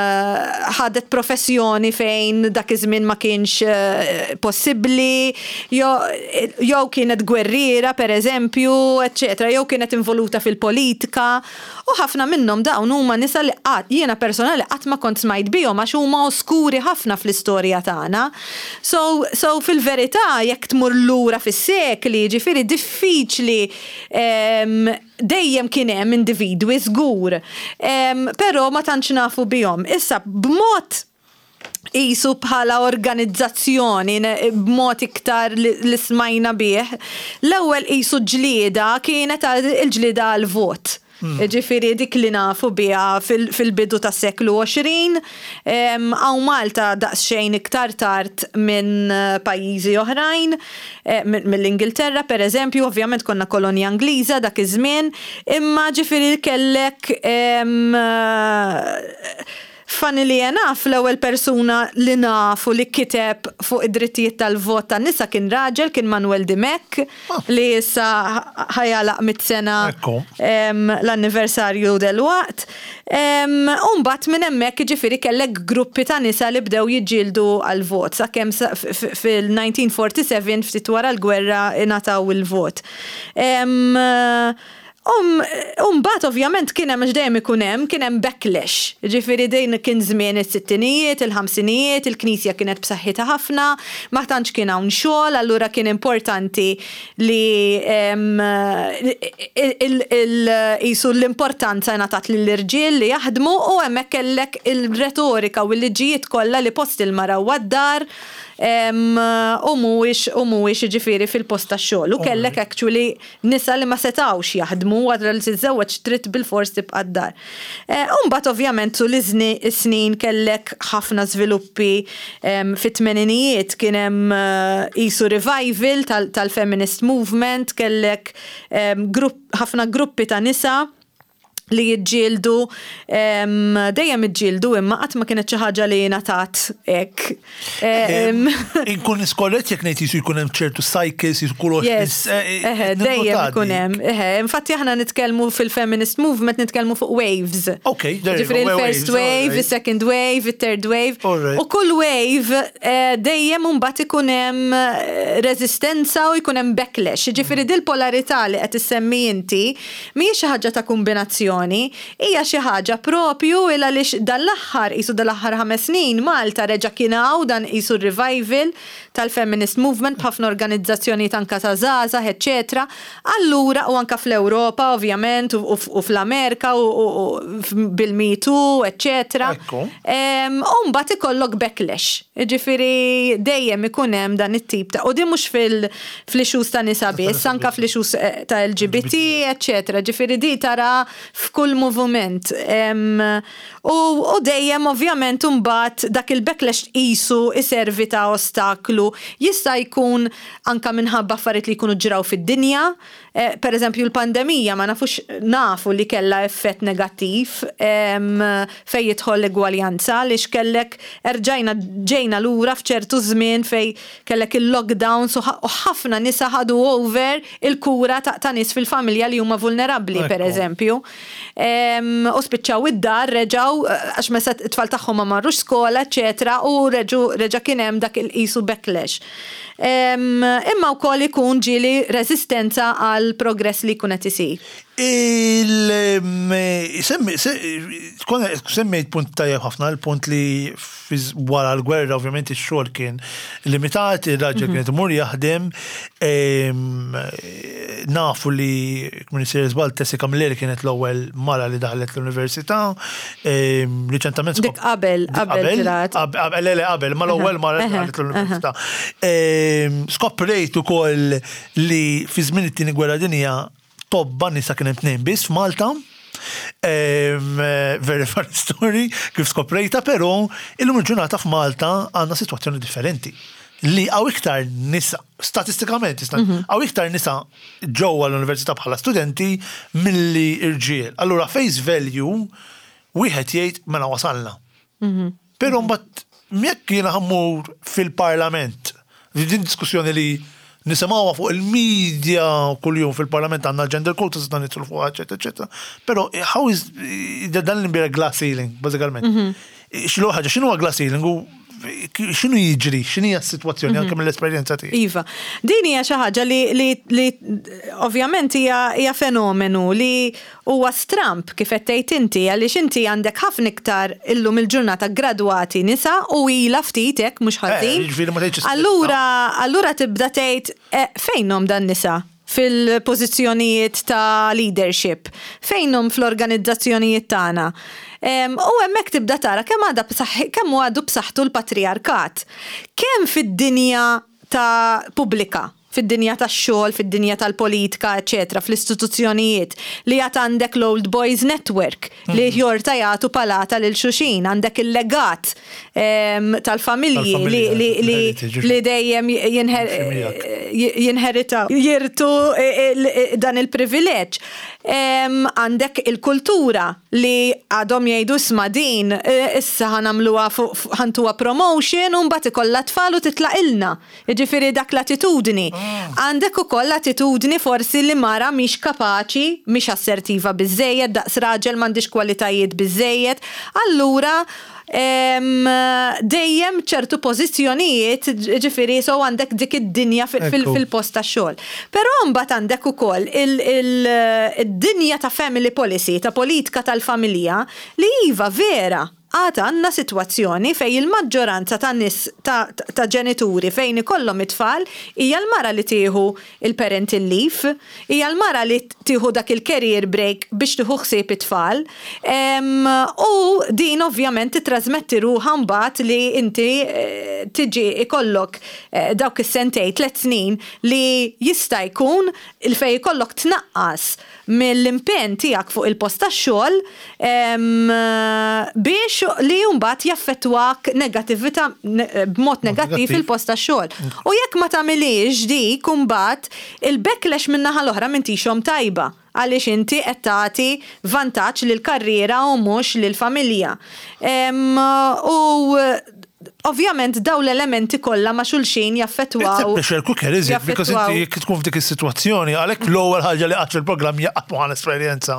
ħadet professjoni fejn dak iż-żmien ma kienx eh, possibbli, jew kienet gwerriera pereżempju, eċċetera, jew kienet involuta fil-politika. U ħafna minnhom dawn huma nisa li qatt jiena personali qatt ma kont smajt bihom għax huma oskuri ħafna fl-istorja tagħna. So, so fil-verità jekk tmur lura fis-sekli, ġifieri diffiċli dejjem kien hemm individwi żgur, però ma tantx nafu bihom. Issa b'mod qisu bħala organizzazzjoni b'mod iktar li smajna bih, l-ewwel qisu ġlieda kienet il-ġlieda għall-vot. Ġifieri dik li nafu biha fil-bidu tas-seklu 20. Hawn Malta daqsxejn iktar tard minn pajjiżi oħrajn, mill-Ingilterra pereżempju, ovvjament konna kolonja Ingliża dak iż-żmien, imma ġifieri kellek Funnily enough, l-ewwel persuna li nafu li kiteb fuq id-drittijiet tal-vot tan-nisa kien raġel, kien Manuel Dimech, li issa ħa jagħlaq mitt sena l-anniversarju delwaqt. U mbagħad minn hemmhekk jiġifieri kellek gruppi ta' nisa li bdew jiġġieldu għall-vot sakemm fil-1947 ftit wara l-gwerra ingħataw il-vot. U mbagħad ovvjament kien hemm, għax dejjem ikun hemm, kien hemm backlash. Jiġifieri din kien żmien is-sittinijiet, il-ħamsinijiet, il-Knisja kienet b'saħħitha ħafna, ma tantx kien hawn xogħol, allura kien importanti li qisu l-importanza ngħatat lill-irġiel li jaħdmu u hemmhekk kellek il-retorika u l-liġijiet kollha li post il-mara huwa d-dar u mhuwiex u mhuwiex jiġifieri fil-post tax-xogħol. U kellek actually Nisa li ma setgħux jaħdmu wara li tiżżewweġ trid bilfors tibqa' d-dar. U mbagħad ovvjament tul is-snin kellek ħafna żviluppi fit-tmeninijiet kien hemm qisu revival tal-feminist movement, kellek ħafna gruppi ta' nisa li jiġġieldu, dejjem iġġieldu imma qatt ma kienet xi ħaġa li ngħatat hekk. Inkun skorrett jekk ngħid jisu jkun hemm ċertu cycles, jisu kull Yes, eh, dejjem ikun hemm. Infatti aħna nitkellmu fil-feminist movement nitkellmu fuq waves. Ok, Ġifieri il-first wave, il-second wave, il-third wave. U kull wave eh, dejjem mbagħad ikun hemm eh, reżistenza u jkun hemm backlash. Ġifieri dil-polarità li qed issemmi inti Mhijiex xi ħaġa ta' kumbinazzjoni, hija xi ħaġa propju il għaliex dan l-aħħar, qisu dal-aħħar ħames snin, Malta reġa' kien hawn dan qisu r-revival tal-feminist movement b'ħafna organizzazzjonijiet anke ta' żgħażagħ eċċetera. Allura, u anke fl-Ewropa ovvjament u fl-Amerika u bil-Me Too eċċetera. U mbagħad ikollok backlash. Jiġifieri dejjem ikun hemm dan it-tip ta' u din mhux fil fl-issues ta' nisa biss, anka fl-issues eh, ta' LGBT, eccetera. Ġifieri di tara f'kull moviment. U dejjem ovvjament imbagħad dak il-backlash tqisu iservi ta' ostaklu. Jista' jkun anka minħabba affarijiet li jkunu ġraw fid-dinja, Eh, per eżempju l-pandemija ma nafux nafu li kellha effett negattiv fejn jidħol l-egwaljanza għaliex kellek erġajna ġejna lura f'ċertu żmien fejn kellek il-lockdowns u ħafna nisa ħadu over il-kura ta' nies fil-familja li huma vulnerabbli per eżempju. U spiċċaw id-dar reġgħu għax meta t-tfal tagħhom ma marrux skola, eċetera, u reġa' kien hemm dak il-qisu backlash. Imma wkoll ikun ġieli reżistenza għal progress li jkun qed isir. Semmejt punt tajjeb ħafna, il-punt li wara l-gwerra ovvjament ix-xogħol kien limitat, ir-raġel mhm. kien imur jaħdem, nafu li minn sejjer żball Tessi Camilleri kienet l-ewwel mara li daħlet l-università, Riċentament. Dik qabel, qabel. Qabel, le, qabel, ma l-ewwel mara li daħlet l-università. Skoprejt ukoll li fi żmien it-tieni gwerra dinja tobba nisa kien hemm tnejn biss f'Malta. Very funny story kif skoprejta, però illum il-ġurnata f'Malta għandna sitwazzjoni differenti li għaw iktar nisa, statistikament, għaw iktar nisa ġewwa l-università bħala studenti milli irġiel. Allura face value wieħed jgħid mela wasalna. Mhm. Però mbagħad jekk jiena ħammur fil-parlament, din diskussjoni li nisimgħuha fuq il-media kuljum fil-parlament għandna gender quotas dan nidħlu fuqha, eċetera, eċetera. Però how is dan l-imbira glass ceiling, bażikament. Mhm. X'lu ħaġa, x'inhu glass ceiling u x'inhu jiġri, x'inhi s-sitwazzjoni anke mhm. mill-esperjenza tiegħek. Iva. Din hija xi ħaġa li, li, li ovvjament hija, hija fenomenu li huwa stramp kif qed tgħid inti għaliex inti għandek ħafna iktar illum il-ġurnata gradwati nisa u ilha ftit hekk mhux eh, ħażin. Allura allura tibda tgħid eh, fejnhom dan nisa? fil-pożizzjonijiet ta' leadership, fejnhom fl-organizzazzjonijiet tagħna. U hemmhekk tibda tara kemm għadha kemm għadu b'saħħtu l-patrijarkat. Kemm fid-dinja ta' pubblika. fid-dinja tax-xogħol, fid-dinja tal-politika, eċċetera, fl-istituzzjonijiet, li għad għandek l-Old Boys Network li jorta jagħtu palata lil xulxin, għandek il-legat tal-familji li dejjem jinheritaw, jirtu dan il-privileġġ. Għandek il-kultura li għadhom jgħidu isma' din issa ħa nagħmluha ħa ntuha promotion u mbagħad ikollha tfal u titlaqilna. Jiġifieri dak l-attitudni. Għandek ukoll l-attitudni forsi li mara mhix kapaċi, mhix assertiva biżżejjed, daqs raġel m'għandhiex kwalitajiet biżżejjed, allura dejjem ċertu pożizzjonijiet, jiġifieri so għandek dik id-dinja fil-post tax-xogħol. Però mbagħad għandek ukoll id-dinja ta' family policy, ta' politika tal-familja li iva vera, Għad għandna sitwazzjoni fejn il-maġġoranza ta' nies ta' ta' ġenituri fejn ikollhom it-tfal hija l-mara li tieħu l-parental leave, hija l-mara li tieħu dak il-career break biex tieħu ħsieb it-tfal. U din ovvjament tittrażmetti ruħha mbagħad li inti tiġi ikollok dawk is-sentejn, tlett snin li jista' jkun fejn ikollok tnaqqas mill-impenn tiegħek fuq il-post tax-xogħol biex li mbagħad jaffettwak negattività b'mod negattiv il-post tax-xogħol. U jekk ma tagħmilhiex dik imbagħad il-backlash min-naħa l-oħra m'intix omm tajba għaliex inti qed tagħti vantaġġ lill-karriera u mhux lill-familja. U Ovvjament dawn l-elementi kollha ma' xulxin jaffettwaw. It's a pressure cooker, is it? Because inti jekk tkun f'dik is-sitwazzjoni, għalhekk l-ewwel ħaġa li qatt fil-programm hija qatt ma esperjenza.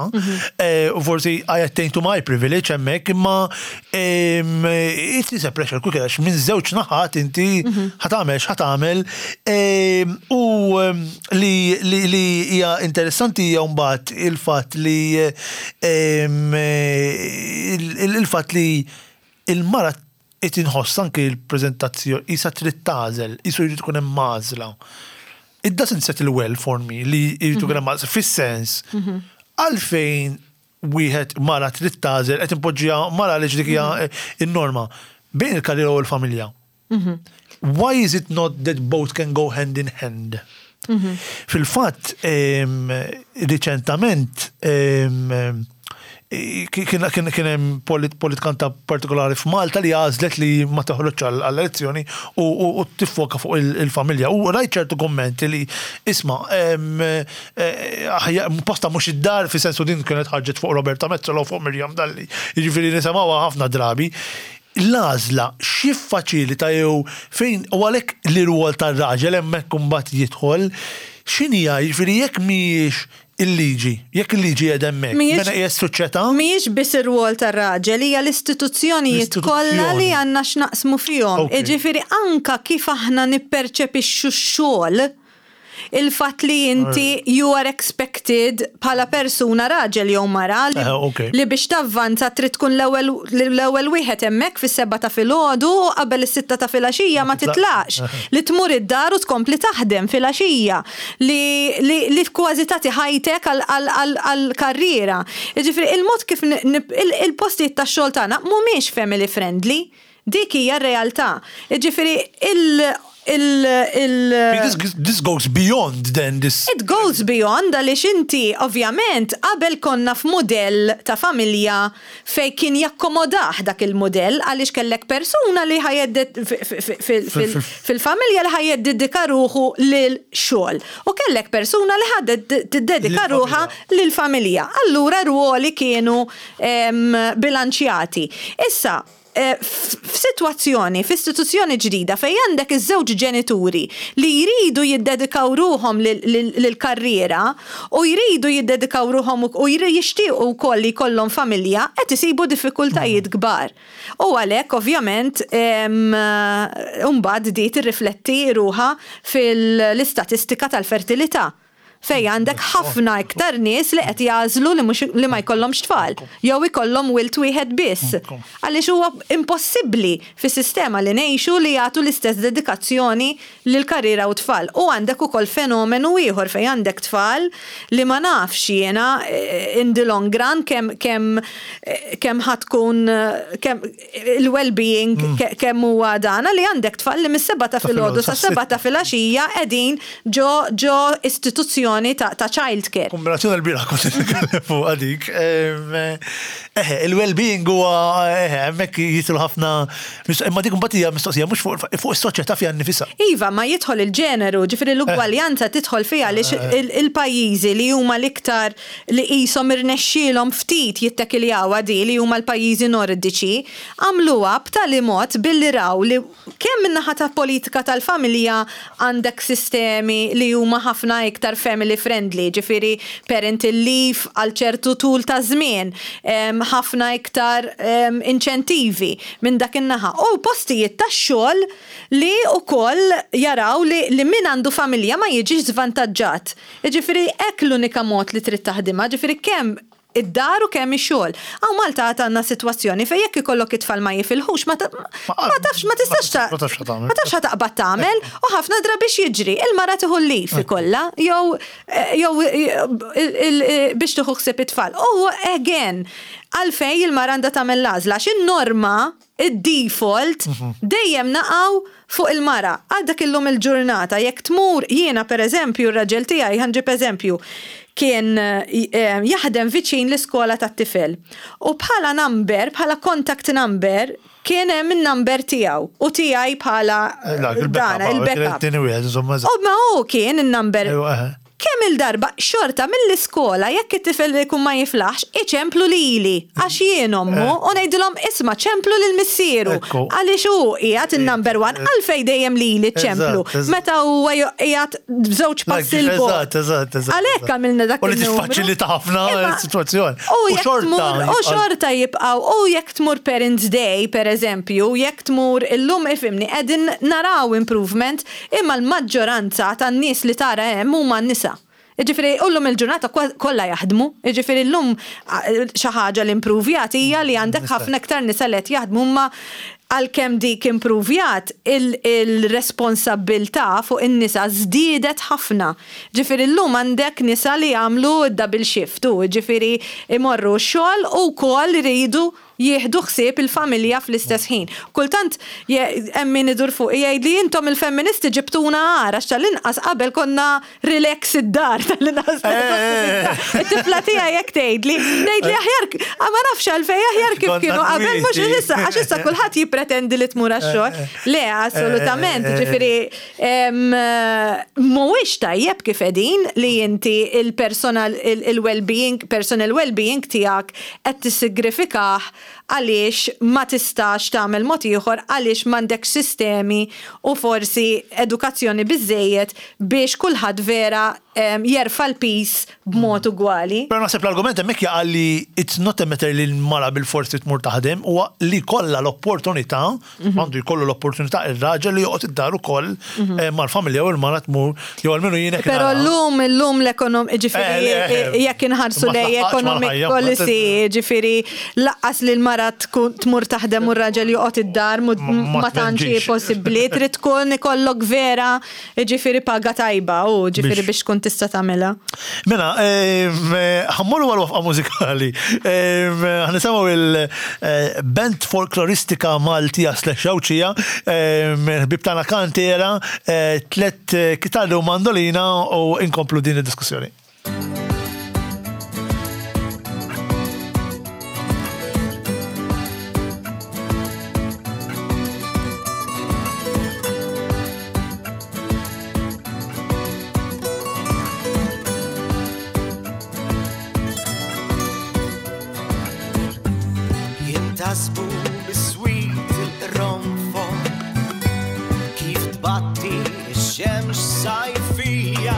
U forsi I attain to my privilege hemmhekk, imma it is a pressure cooker għax minn żewġ naħat inti ħa tagħmel x'ħa tagħmel. U li li hija interessanti hija mbagħad il-fatt li il-fatt li il-mara qed inħoss anki l-preżentazzjoni qisha trid tagħżel, qisu jrid ikun hemm għażla. It doesn't settle well for me li jrid ikun hemm għażla, fis-sens għalfejn wieħed mara trid tagħżel qed inpoġġiha mara għaliex dik hija n-norma bejn il-karriera u l-familja. Why is it not that both can go hand in hand? Fil-fatt, riċentament kien hemm politikanta partikolari f'Malta li għażlet li ma toħroġx għall-elezzjoni u tiffoka fuq il-familja. U rajt ċertu kummenti li isma' posta mhux id-dar fi sensu din kienet ħarġet fuq Roberta Metsola u fuq Miriam Dalli. Jiġifieri nisimgħuha ħafna drabi. L-għażla x'jiffaċilita jew fejn u għalhekk l-irwol tar-raġel hemmhekk imbagħad jidħol, x'inhija jiġifieri jekk mhijiex il-liġi, jekk il-liġi qiegħda hemmhekk, mela hija s-soċjetà? Mhijiex biss ir-rwol tar-raġel, hija l-istituzzjonijiet kollha li għandna x'naqsmu fihom. Jiġifieri anke kif aħna nipperċepixxu x-xogħol, Il-fatt li inti you are expected bħala persuna raġel jew mara li biex tavvanza trid tkun l-ewwel wieħed hemmhekk fis-sebgħa ta' filgħodu u qabel is-sitta ta' filgħaxija ma titlaqx, li tmur id-dar u tkompli taħdem filgħaxija, li kważi tagħti ħajtek għall-karriera. Jiġifieri il-mod kif il-postijiet tax-xogħol tagħna mhumiex family friendly. Dik hija r-realtà. Jiġifieri il il il This, this goes beyond then this. It goes beyond għaliex inti ovvjament qabel konna f'mudell ta' familja fejn kien jakkomodah dak il-mudell għaliex kellek persuna li ħa fil-familja li ħa jiddedika ruħu lil xogħol u kellek persuna li ħa tiddedika ruħha lill-familja. Allura r-rwoli kienu bilanċjati. Issa, f'sitwazzjoni, f'istituzzjoni ġdida fejn għandek iż-żewġ ġenituri li jridu jiddedikaw ruħhom lill-karriera u jridu jiddedikaw ruħhom u jixtiequ wkoll li jkollhom familja, qed isibu diffikultajiet kbar. U għalhekk ovvjament imbagħad di tirrifletti ruħha fil-istatistika tal-fertilità. Fejn għandek ħafna iktar nies li qed jagħżlu li mhux li ma jkollhomx tfal jew ikollhom wild wieħed biss. Għaliex huwa impossibbli fis-sistema li ngħixu li jagħtu l-istess dedikazzjoni lill-karriera u t-tfal. U għandek ukoll fenomenu ieħor fejn għandek tfal li ma nafx jiena in the long run kemm kemm kemm ħa tkun kemm il-well-being kemm huwa dan li għandek tfal li mis-sebgħa ta' filgħodu sas-sebgħa ta' filgħaxija qegħdin ġo ġo istituzzjoni ta' child care. Kombinazzjoni l-bieraħ kont qed nitkellem fuqha dik. Eħe, il-well-being huwa eħe, hemmhekk jidħlu ħafna imma dik imbagħad hija mistoqsija mhux fuq fuq is-soċjetà fiha nnifisha. Iva, ma jidħol il-ġeneru, ġifieri l-ugwaljanza tidħol fiha għaliex il-pajjiżi li huma l-iktar li qishom irnexxielhom ftit jittekiljawha di li huma l-pajjiżi Nordiċi, għamluha b'tali mod billi raw li kemm min-naħa ta' politika tal-familja għandek sistemi li huma ħafna iktar family friendly, ġifieri parental leave għal ċertu tul ta' żmien, ħafna iktar inċentivi minn dak in-naħa u postijiet tax-xogħol li wkoll jaraw li min għandu familja ma jiġix żvantaġġat. Jiġifieri hekk l-unika mod li trid taħdimha, ġifieri kemm id-dar u kemm ix-xogħol. Hawn Malta għad għandna sitwazzjoni fejn jekk ikollok it-tfal ma jifilħux ma ma tafx ma tistax ta' ma tafx ħa taqbad tagħmel u ħafna drabi x'jiġri? Il-mara tieħu l-leave ikollha jew jew biex tieħu ħsieb it-tfal. U again, għalfejn il-mara għandha tagħmel l-għażla għax in-norma id-default dejjem naqgħu fuq il-mara. Għadek illum il-ġurnata jekk tmur jiena pereżempju r-raġel tiegħi ħa nġib eżempju kien jaħdem viċin l-iskola tat-tifel. U bħala number, bħala contact number kien hemm in-number tiegħu u tiegħi bħala dan il-backup. U ma hu kien in-number. Kemm-il darba, xorta mill-iskola jekk it-tifel ikun ma jiflaħx, iċemplu lili, għax jien ommu, u ngħidilhom isma' ċemplu lil missieru, għaliex hu qiegħed in-number one, għalfejn dejjem lili ċċemplu, meta huwa qiegħed b'żewġ passi 'l bogħod. Għalhekk għamilna dak il-numru. U li tiffaċilita ħafna s-sitwazzjoni. U xorta jibqgħu, u jekk tmur Parents' Day, pereżempju, jekk tmur illum ifhimni qegħdin naraw improvement, Imma l-maġġoranza tan-nies li tara hemm huma nisa. Jiġifieri u llum il-ġurnata kollha jaħdmu. Jiġifieri llum xi ħaġa li impruvjat hija li għandek ħafna iktar nisa li qed jaħdmu imma għalkemm dik impruvjat il-responsabbiltà fuq in-nisa żdiedet ħafna. Ġifieri llum għandek nisa li jagħmlu d-double shift u jiġifieri imorru x-xogħol u wkoll iridu jieħdu ħsieb il-familja fl-istess ħin. Kultant hemm min idur fuqi jgħidli intom il-femministi ġibtuna agħar għax tal-inqas qabel konna relax id-dar tal-inqas. It-tifla tiegħi hekk tgħidli, tgħidli aħjar ma nafx għalfejn aħjar kif kienu qabel mhux issa għax issa kulħadd jippretendi li tmur għax-xogħol. Le, assolutament, ġifieri mhuwiex tajjeb kif qegħdin li inti il-personal il-well-being, personal well-being tiegħek qed tissigrifikah għaliex ma tistax tagħmel mod ieħor għaliex m'għandekx sistemi u forsi edukazzjoni biżżejjed biex kulħadd vera jerfa' l-piż b'mod ugwali. Però naħseb l-argument hemmhekk jaqa' li it's not a matter li l-mara bilfors trid tmur taħdem, huwa li jkollha l-opportunità Għandu jkollu l-opportunità ir-raġel li joqgħod id-dar ukoll eh, mal-familja u l-mara tmur jew almenu jien hekk Però llum illum l-ekonom ġifieri eh, eh, jekk inħarsu lej economic policy ġifieri laqqas li l-mara tmur taħdem u r-raġel joqgħod id-dar ma tantx possibbli trid tkun ikollok vera Jiġifieri paga tajba u ġifieri biex tkun tista' tagħmilha. Mela, ħammorru għal waqfa mużikali. Ħanisimgħu il-band folkloristika Maltija slash Għawdxija, ħbieb tagħna Kantera, tlett kitarri u mandolina u inkomplu din id-diskussjoni. Jintasbu biswit il-qronfol kif tbatti x-xemx sajfija.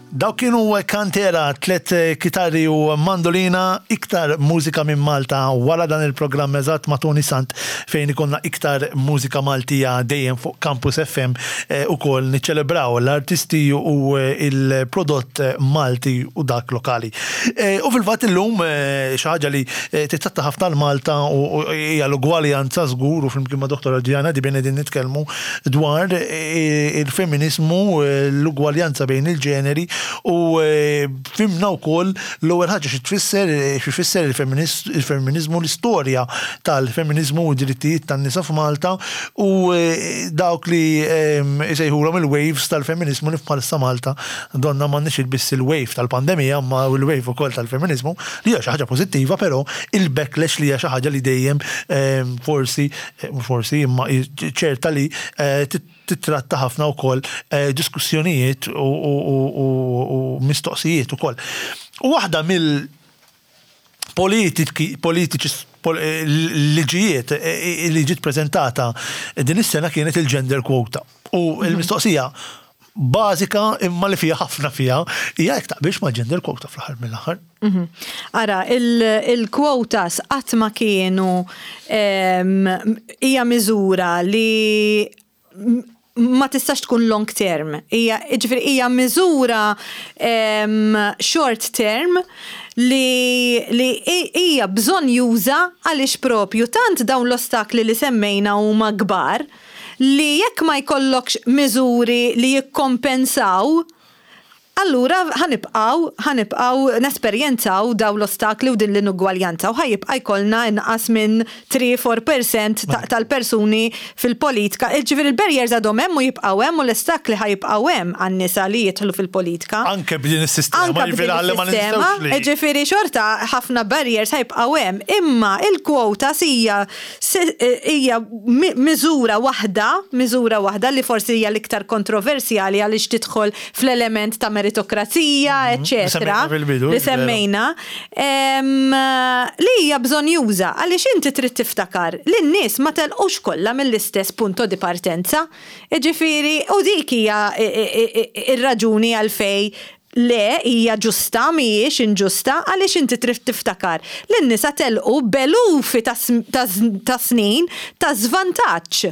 Dawk kienu Kantera, tlet kitarri u mandolina, iktar mużika minn Malta wara dan il-programm eżatt ma' Toni Sant fejn ikollna iktar mużika Maltija dejjem fuq Campus FM ukoll niċċelebraw l-artisti u l-prodott Malti u dak lokali. U fil-fatt illum xi ħaġa li titratta ħafna l-Malta u hija l-ugwaljanza żgur u flimkien ma' Dottor Adriana Dibien qegħdin nitkellmu dwar il-feminiżmu, l-ugwaljanza bejn il-ġeneri u fhimna wkoll l-ewwel ħaġa xi tfisser, xi jfisser il-feminiżmu, l-istorja tal-feminiżmu u d-drittijiet tan-nisa f'Malta u dawk li jsejħulhom il-waves tal-feminiżmu li bħalissa Malta donna m'għandniex biss il-wave tal-pandemija imma l-wave ukoll tal-feminiżmu li hija xi ħaġa pożittiva però il-backlash li hija xi ħaġa li dejjem forsi mhux forsi imma ċerta li titratta ħafna wkoll diskussjonijiet u mistoqsijiet ukoll. U waħda mill politiki politiċi liġijiet li ġiet preżentata din is-sena kienet il-gender quota. U l-mistoqsija bażika imma li fiha ħafna fiha hija jekk taqbilx mal-gender quota fl-aħħar mill-aħħar. Mhm. Ara, il-quotas qatt ma kienu hija miżura li ma tistax tkun long term. Hija ġifieri hija miżura short term li li hija bżonnjuża għaliex propju tant dawn l-ostakli li semmejna huma kbar li jekk ma jkollokx miżuri li jikkompensaw, allura ħa nibqgħu ħa nibqgħu nesperjenzaw dawn l-ostakli u din l-inugwaljanza u ħa jibqa' jkollna inqas minn 3, 4 percent tal-persuni fil-politika. Jiġifieri l-barriers għadhom hemm u jibqgħu hemm u l-ostakli ħa jibqgħu hemm għan-nisa li jidħlu fil-politika. Anke b'din is-sistema. Anke b'din is-sistema. Jiġifieri xorta ħafna barriers ħa jibqgħu hemm. Imma il-quotas hija Hija miżura waħda, miżura waħda li forsi hija l-iktar kontroversjali għaliex tidħol fl-element ta' meritokrazija, eċċetera. Li semmejna. Li hija bżonnjuża għaliex inti trid tiftakar li n-nies ma telqux kollha mill-istess punto di partenza. Jiġifieri, u dik hija r-raġuni għalfejn Le, hija ġusta, mhijiex inġusta, għaliex inti trid tiftakar li n-nisa telqu b'elufi ta' snin ta' żvantaġġ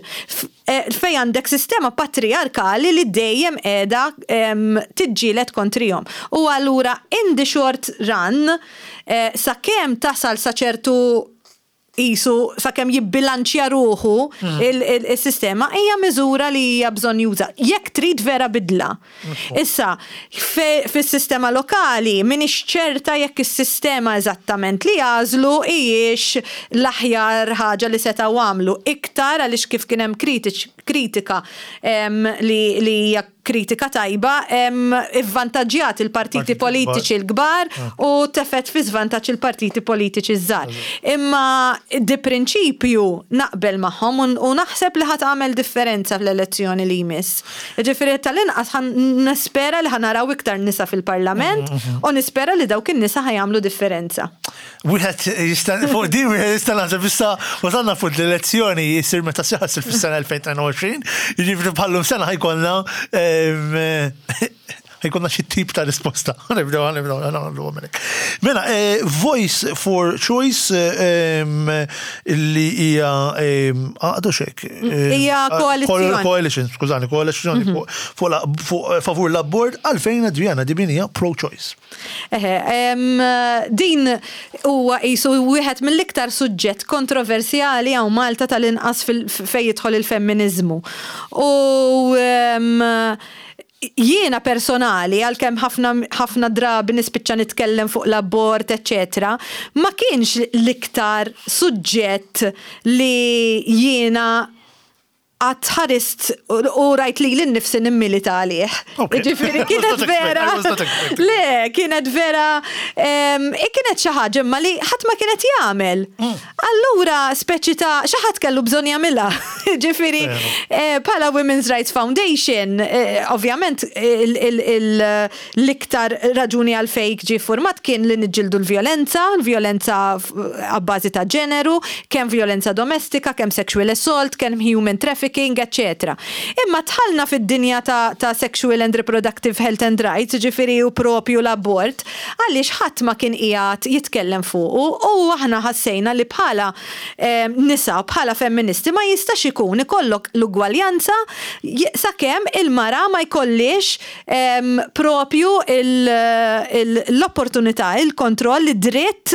fejn għandek sistema patrijarkali li dejjem qiegħda tiġġieled kontrihom. U allura in the short run, sakemm tasal sa ċertu qisu sakemm jibbilanċja ruħu il-sistema hija miżura li hija bżonnjuża jekk trid vera bidla. Issa, fis-sistema lokali m'iniex ċerta jekk is-sistema eżattament li għażlu hijiex l-aħjar ħaġa li setgħu għamlu iktar għaliex kif kien hemm kritika li hija kritika tajba, ivvantaġġjat il-partiti politiċi l-kbar u tefgħet fi żvantaġġ il-partiti politiċi ż-żgħar. Imma di prinċipju naqbel magħhom u naħseb li ħa tagħmel differenza fl-elezzjoni li jmiss. Jiġifieri tal-inqas ħa nispera li ħa naraw iktar nisa fil-Parlament u nispera li dawk in-nisa ħa jagħmlu differenza. Wieħed jista' fuq din wieħed jista' naħseb issa wasalna fuq l-elezzjoni jsir meta ssir fis-sena 2022, jiġifieri bħallum sena ħajkollna ħajkollna xi tip ta' risposta. Nibdew nibdew nagħmlu hekk. Mela, eh, Voice for Choice li hija għaqdu xek. Hija koalizzjoni. Coalition, skużani, koalizzjoni mhm. fuq favur l-abort għalfejn Adriana Dibinija pro-choice. Eħe, din huwa qisu wieħed mill-iktar suġġett kontroversjali hawn Malta tal-inqas fejn jidħol il-femminiżmu. U jiena personali, għalkemm ħafna ħafna drabi nispiċċa nitkellem fuq l-abort, eċċetera, ma kienx l-iktar suġġett li jiena qatt ħarist u rajt lili nnifsi nimmilita għalih. Ġifieri kienet vera. Le, kienet vera kienet xi ħaġa imma li ħadd ma kienet jagħmel. Mm. Allura speċi ta' xi ħadd kellu bżonn jagħmilha. Ġifieri eh, bħala Women's Rights Foundation, eh, ovvjament L-iktar raġuni għalfejn ġie ffurmat kien li niġġieldu l-vjolenza, l-vjolenza abbażi ta' ġeneru, kemm vjolenza domestika, kemm sexual assault, kemm human trafficking. trafficking, eċċetera. Imma dħalna fid-dinja ta', ta sexual and reproductive health and rights, ġifieri u propju l-abort, għaliex ħadd ma kien qiegħed jitkellem fuqu u aħna ħassejna li bħala nisa, bħala femministi ma jistax ikun ikollok l-ugwaljanza sakemm il-mara ma jkollhiex propju l-opportunità, il-kontroll, id-dritt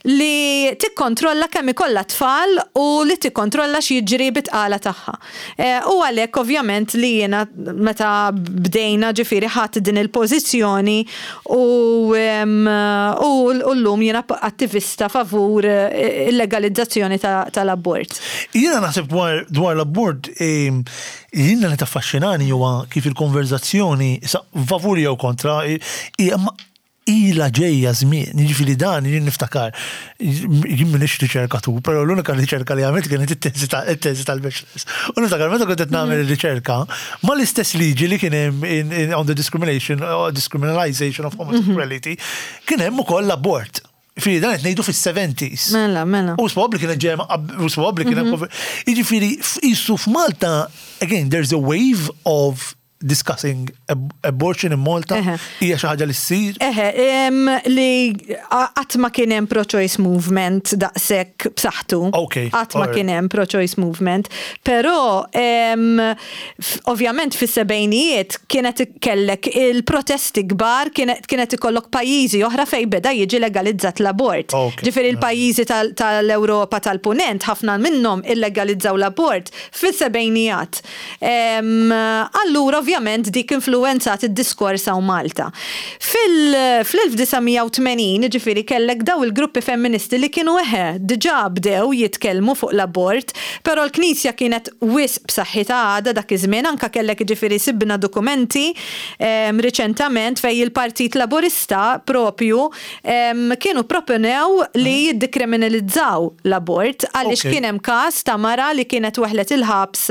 li tikkontrolla kemm ikollha tfal u li tikkontrolla x'jiġri bit-tqala tagħha. U għalhekk ovvjament li jiena meta bdejna ġifieri ħadt din il-pożizzjoni u u llum jiena attivista favur il-legalizzazzjoni tal-abort. Jiena naħseb dwar l-abort jiena li taffaxxinani huwa kif il-konverżazzjoni, issa favur jew kontra, ilha ġejja żmien, jiġifieri dan jien niftakar, jien m'iniex riċerkatur, però l-unika riċerka li għamilt kienet it-teżi it-teżi tal-bachelors. U niftakar meta kont qed nagħmel ir-riċerka, mal-istess liġi li kien hemm on the discrimination, discriminalization of homosexuality, kien hemm ukoll l-abort. Jiġifieri dan qed ngħidu fis-70s. Mela, mela. U probabbli kienet ġejja u probabbli kien hemm. Jiġifieri qisu f'Malta, again, there's a wave of discussing abortion in Malta hija xi ħaġa li ssir? Eħe, li qatt ma kien hemm pro-choice movement daqshekk b'saħħtu. Qatt ma kien hemm pro-choice movement. Però ovvjament fis-sebgħinijiet kienet kellek il-protesti kbar, kienet ikollok pajjiżi oħra fejn beda jiġi legalizzat l-abort. Ġifieri l-pajjiżi tal-Ewropa tal-Punent ħafna minnhom illegalizzaw l-abort fis-sebgħinijat. Allura ovvjament dik influwenzat id-diskors hawn Malta. Fil-1980 jiġifieri kellek daw il-gruppi femministi li kienu eħe diġà bdew jitkellmu fuq l-abort, però l-Knisja kienet wisq b'saħħitha għadha dak iż-żmien, anke kellek jiġifieri sibna dokumenti riċentament fejn il-Partit Laburista propju kienu pproponew li jiddikriminalizzaw l-abort għaliex kien hemm każ ta' mara li kienet weħlet il-ħabs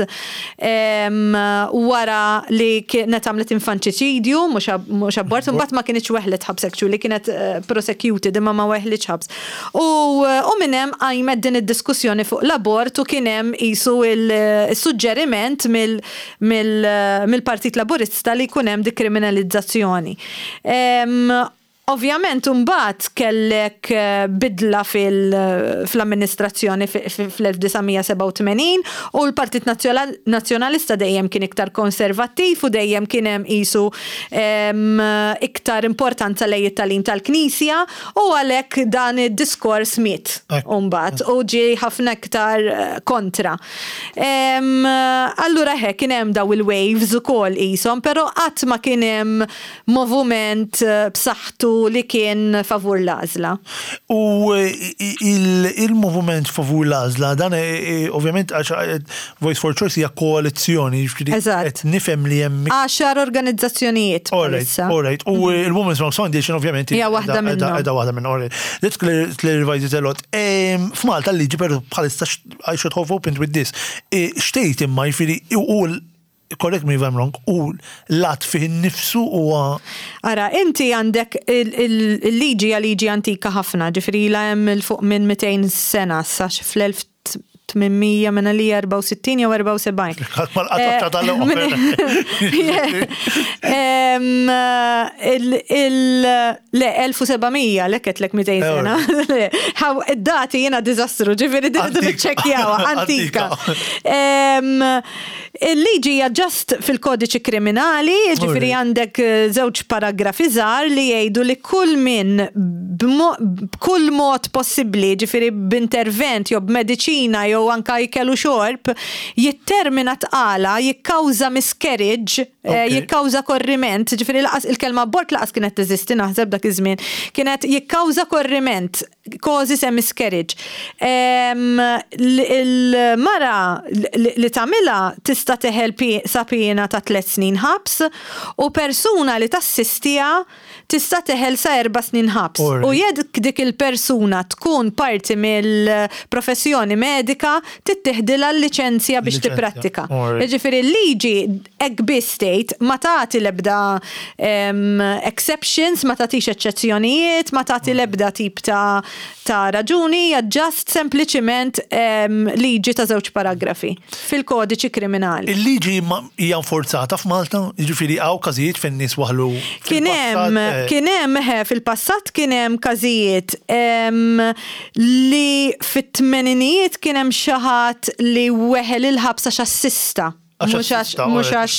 wara li kienet għamlet infantiċidju, mhux abort, imbagħad ma kinitx weħlet ħabs actually, kienet prosecuted imma ma weħlitx ħabs. U minn hemm qajmet din id-diskussjoni fuq l-abort u kien hemm qisu il-suġġeriment mill-Partit Laburista li jkun hemm dikriminalizzazzjoni. Ovvjament imbagħad kellek bidla fl-amministrazzjoni fl-1987 u l-Partit Nazzjonalista dejjem kien iktar konservattiv u dejjem kien hemm qisu iktar importanza lejn it-tagħlim tal-Knisja u għalhekk dan id-diskors miet imbagħad u ġie ħafna iktar kontra. Allura eħe kien hemm daw il-waves ukoll qishom, però qatt ma kien hemm movument b'saħħtu li kien favur l-għażla. U il-movument favur l-għażla, dan ovvjament għax Voice for Choice hija koalizzjoni, jiġifieri qed nifhem li hemm. Għaxar organizzazzjonijiet bħalissa. All right, u il-Women's Wrong Foundation ovvjament hija waħda minnhom. Hija waħda minnhom, all right. That clarifies it a lot. F'Malta l-liġi però bħalissa I should have opened with this. Xtejt imma jiġifieri u correct me if I'm wrong, u l-att fih innifsu huwa. Ara, inti għandek il-liġi hija liġi antika ħafna, ġifieri ilha hemm 'il fuq minn 200 sena, sa fl-1800 minn għalija 64 jew 74. Ħadd ma laqat tal-oħra. Le, 1700, le ketlek 200 sena. Id-dati jiena diżastru, ġifieri din niċċekkjawha, antika. Il-liġi hija just fil-kodiċi kriminali, jiġifieri għandek żewġ paragrafi żgħar li jgħidu li kull min b'kull mod possibbli, jiġifieri b'intervent jew b'mediċina jew anke ikel u xorb, jittermina tqala, jikkawża miscarriage, jikkawża korriment, jiġifieri lanqas il-kelma abort lanqas kienet teżisti naħseb dak iż-żmien, kienet jikkawża korriment. Causes a miscarriage. Il-mara li tagħmilha tista' teħel sa piena ta' tliet snin ħabs u persuna li tassistiha tista' teħel sa erba' snin ħabs. U jekk dik il-persuna tkun parti mill-professjoni medika, tittieħdilha l-liċenzja biex tipprattika. Jiġifieri l-liġi hekk biss tgħid, ma tagħti l-ebda exceptions, ma tagħtix eċċezzjonijiet, ma tagħti l-ebda tip ta' ta' raġuni, hija just sempliċiment liġi ta' żewġ paragrafi fil-kodiċi kriminali. Il-liġi hija nforzata f'Malta? Jiġifieri hawn każijiet fejn nies waħlu Kien hemm, eh. kien hemm, fil-passat kien hemm każijiet li fit-tmeninijiet kien hemm xi ħadd li weħel il-ħabs għax assista. Mhux għax mhux għax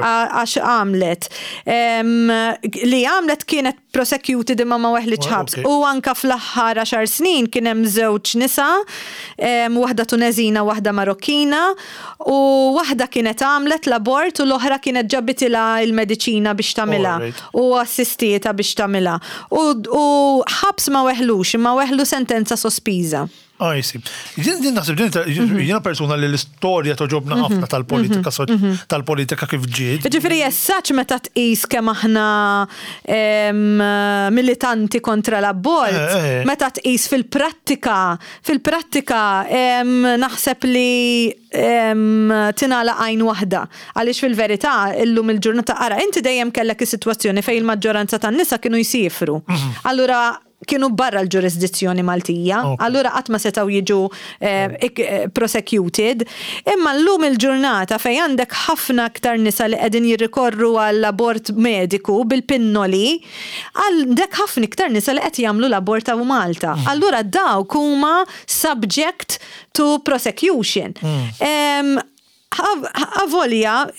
għax għamlet. Li għamlet kienet prosecuted imma ma weħlitx ħabs. U anka fl-aħħar għaxar snin kien hemm żewġ nisa, waħda Tuneżina waħda Marokkina, u waħda kienet għamlet l-abort u l-oħra kienet ġabitilha il-mediċina biex tagħmilha u assistietha biex tagħmilha. U ħabs ma weħlux imma weħlu sentenza sospiża. I see. Jien jien naħseb din mhm. jiena persuna li l-istorja toġobna mhm. ħafna tal-politika mhm. tal-politika kif ġiet. Ġifieri jessaċ meta tqis kemm aħna militanti kontra l-abort, eh, eh. meta tqis fil-prattika, fil-prattika naħseb li tingħalaq għajn waħda. Għaliex fil-verità illum il-ġurnata ara inti dejjem kellek is-sitwazzjoni fejn il-maġġoranza tan-nisa kienu jsifru. Allura kienu barra l-ġurisdizzjoni Maltija, allura qatt ma setgħu jiġu eh, eh, prosecuted. Imma llum il-ġurnata fejn għandek ħafna aktar nisa li qegħdin jirrikorru għall abort mediku bil-pinnoli, għandek ħafna iktar nisa li qed jagħmlu l-abort hawn Malta. Mm. Allura dawk huma subject to prosecution. Mm. Avolja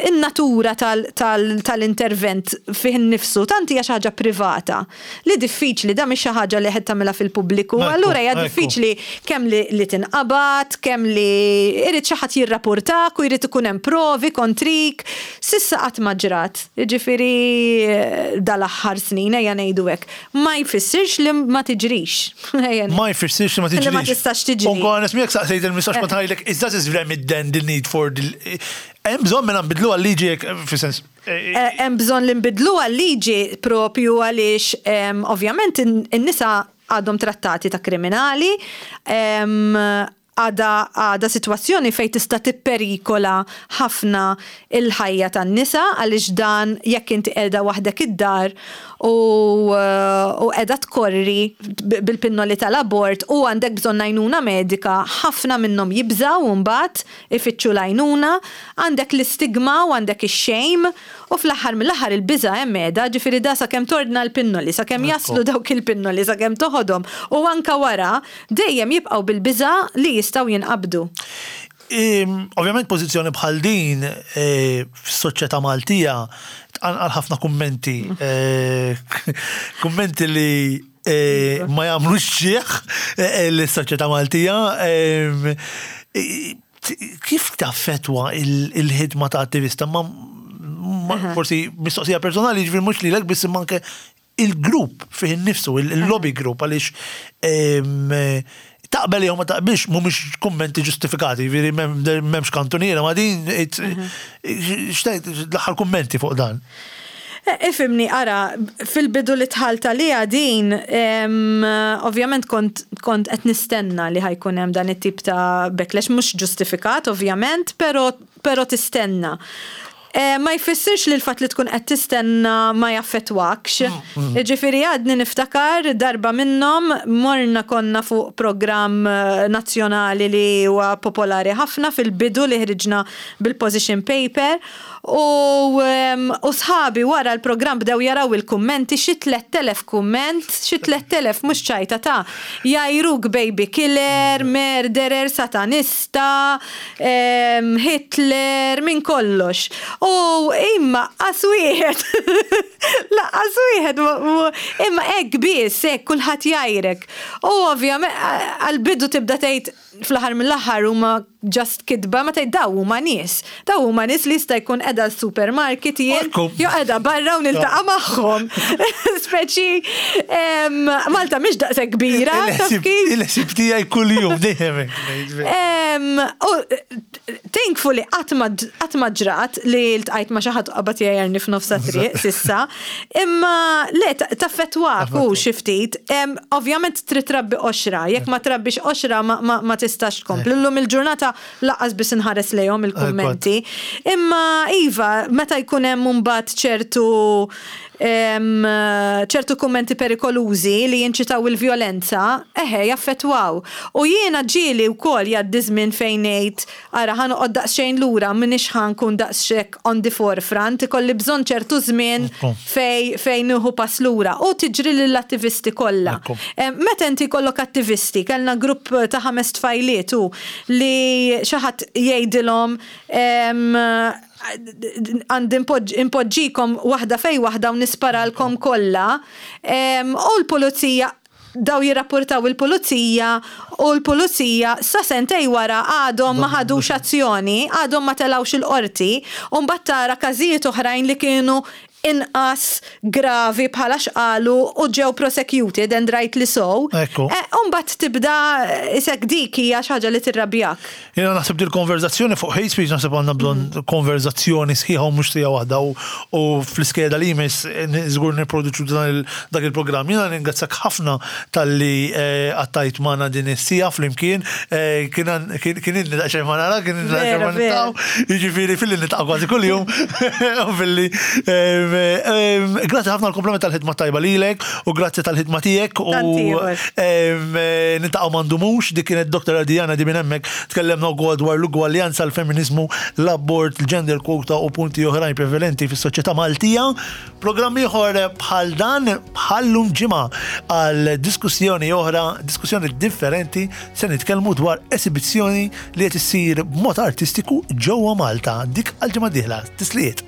in-natura tal-intervent fih innifsu tant hija xi ħaġa privata li diffiċli, da mhix xi ħaġa li qed tagħmilha fil-pubbliku, allura hija diffiċli kemm li tinqabad, kemm li irid xi ħadd jirrapurtak u jrid ikun hemm provi kontrik. S'issa qatt ma ġrat, jiġifieri dal-aħħar snin ejja ngħidu hekk. Ma jfissirx li ma tiġrix. Ma jfissirx li ma tiġrix. Li ma tistax tiġri. U nkun onest miegħek saqsejt il-mistoqsija kont ngħidlek, is that is remit then the need for the Hemm bżonn mela nbidluha l-liġi jekk fis-sens. Eh, eh, hemm bżonn li nbidluha l-liġi propju għaliex ovvjament in-nisa għadhom trattati ta' kriminali, Għadha għadha sitwazzjoni fejn tista' tipperikola ħafna l-ħajja tan-nisa għaliex dan jekk inti qiegħda waħdek id-dar u u qiegħda tkorri bil-pinnoli tal-abort u għandek bżonn għajnuna medika, ħafna minnhom jibżgħu mbagħad ifittxu l-għajnuna, għandek l-istigma u għandek ix-shame u fl-aħħar mill-aħħar il-biża' hemm qiegħda, ġifieri da sakemm tordna l-pinnoli, sakemm jaslu dawk il-pinnoli, sakemm toħodhom u anke wara Dejjem jibqgħu bil-biża' li jistgħu jinqabdu. Ovvjament pożizzjoni bħal din e, fis-soċjetà Maltija tqanqal ħafna kummenti. E, kummenti li e, ma jagħmlux ġieħ lis-soċjetà Maltija. Kif taffetwa il-ħidma ta' attivista? Ma forsi mistoqsija personali, ġifieri mhux lilek biss imma anke il-grupp fih innifsu, il-lobby group, għaliex taqbel jew ma taqbilx mhumiex kummenti ġustifikati, jiġifieri m'hemmx kantuniera ma din x'tgħid l-aħħar kummenti fuq dan. Eh, ifimni, ara, fil-bidu li tħalt għalija din, ovvjament kont kont qed nistenna li ħajkun hemm dan it-tip ta' backlash mhux ġustifikat ovvjament, però però tistenna. Ma jfissirx li l-fatt li tkun qed tistenna ma jaffettwakx. Jiġifieri għadni niftakar darba minnhom morna konna fuq programm nazzjonali li huwa popolari ħafna fil-bidu li ħriġna bil-position paper u u sħabi wara l-programm bdew jaraw il-kummenti xi 3000 kumment, xi 3000 mhux ċajta ta' jgħajruk baby killer, murderer, satanista, Hitler, minn kollox. U imma qas wieħed, laqqas wieħed, imma hekk biss, hekk kulħadd jgħajrek. U ovvjament għall-bidu tibda tgħid fl-aħħar mill-aħħar huma just kitba ma tgħid daw huma nies. Daw huma nies li jista' jkun qiegħda s-supermarket jien jew qiegħda barra u niltaqa' magħhom. Speċi Malta mhix daqshekk kbira. Il-ħsieb tiegħi kuljum dejjem. U thankfully qatt ma ġrat li ltqajt ma' xi ħadd qabad jgħajjarni f'nofs triq sissa. Imma le taffettwak u xi ftit. Ovvjament trid trabbi qoxra, jekk ma trabbix qoxra ma tistax tkompli. Illum il-ġurnata Lanqas biss inħares lejhom il-kummenti. Imma iva, meta jkun hemm imbagħad ċertu ċertu kummenti perikolużi li jinċitaw il-vjolenza, eħe, jaffettwaw. U jiena ġieli wkoll jgħaddi żmien fejn ngħid, ara ħa noqgħod daqsxejn lura, m'iniex ħa nkun daqshekk on the forefront, ikolli bżonn ċertu żmien fejn fejn nieħu pass lura. U tiġri lill-attivisti kollha. Meta inti jkollok attivisti, kellna grupp ta' ħames tfajliet u li xi ħadd jgħidilhom għandi impoġġikom waħda fejn waħda u nisparalkom kollha, u l-pulizija daw jirrapportaw il-pulizija u l-pulizija sa sentej wara għadhom ma ħadux azzjoni, għadhom ma telgħux il-qorti, u mbagħad tara każijiet oħrajn li kienu inqas gravi bħala x'qalu u ġew prosecuted and rightly so. Ekku. U mbagħad tibda isek dik hija xi ħaġa li tirrabjak. Jiena naħseb dil konverzazzjoni fuq hate speech naħseb għandna bżonn konverzazzjoni sħiħa u mhux siegħa waħda u fl-iskeda li jmiss żgur nipproduċu dak il-programm. Jiena ningrazzjak ħafna talli qattajt magħna din is-siegħa flimkien. Kien kien ilni daqsxejn ma narak, kien ilni daqsxejn ma niltaqgħu. Jiġifieri filli niltaqgħu kważi kuljum. U filli grazzi ħafna għall-kumplament tal-ħidma tajba lilek u grazzi tal-ħidma tiegħek u niltaqgħu ma ndumux. Dik kienet Dr. Adriana di minn hemmhekk tkellemna wkoll dwar l-ugwaljanza, l-feminiżmu, l-abort, il-gender quota u punti oħrajn prevalenti fis-soċjetà Maltija. Programm ieħor bħal dan bħal-lum ġimgħa għal diskussjoni oħra, diskussjoni differenti, se nitkellmu dwar esibizzjoni li qed issir b'mod artistiku ġewwa Malta. Dik għal ġimgħa dieħla. Tislijiet.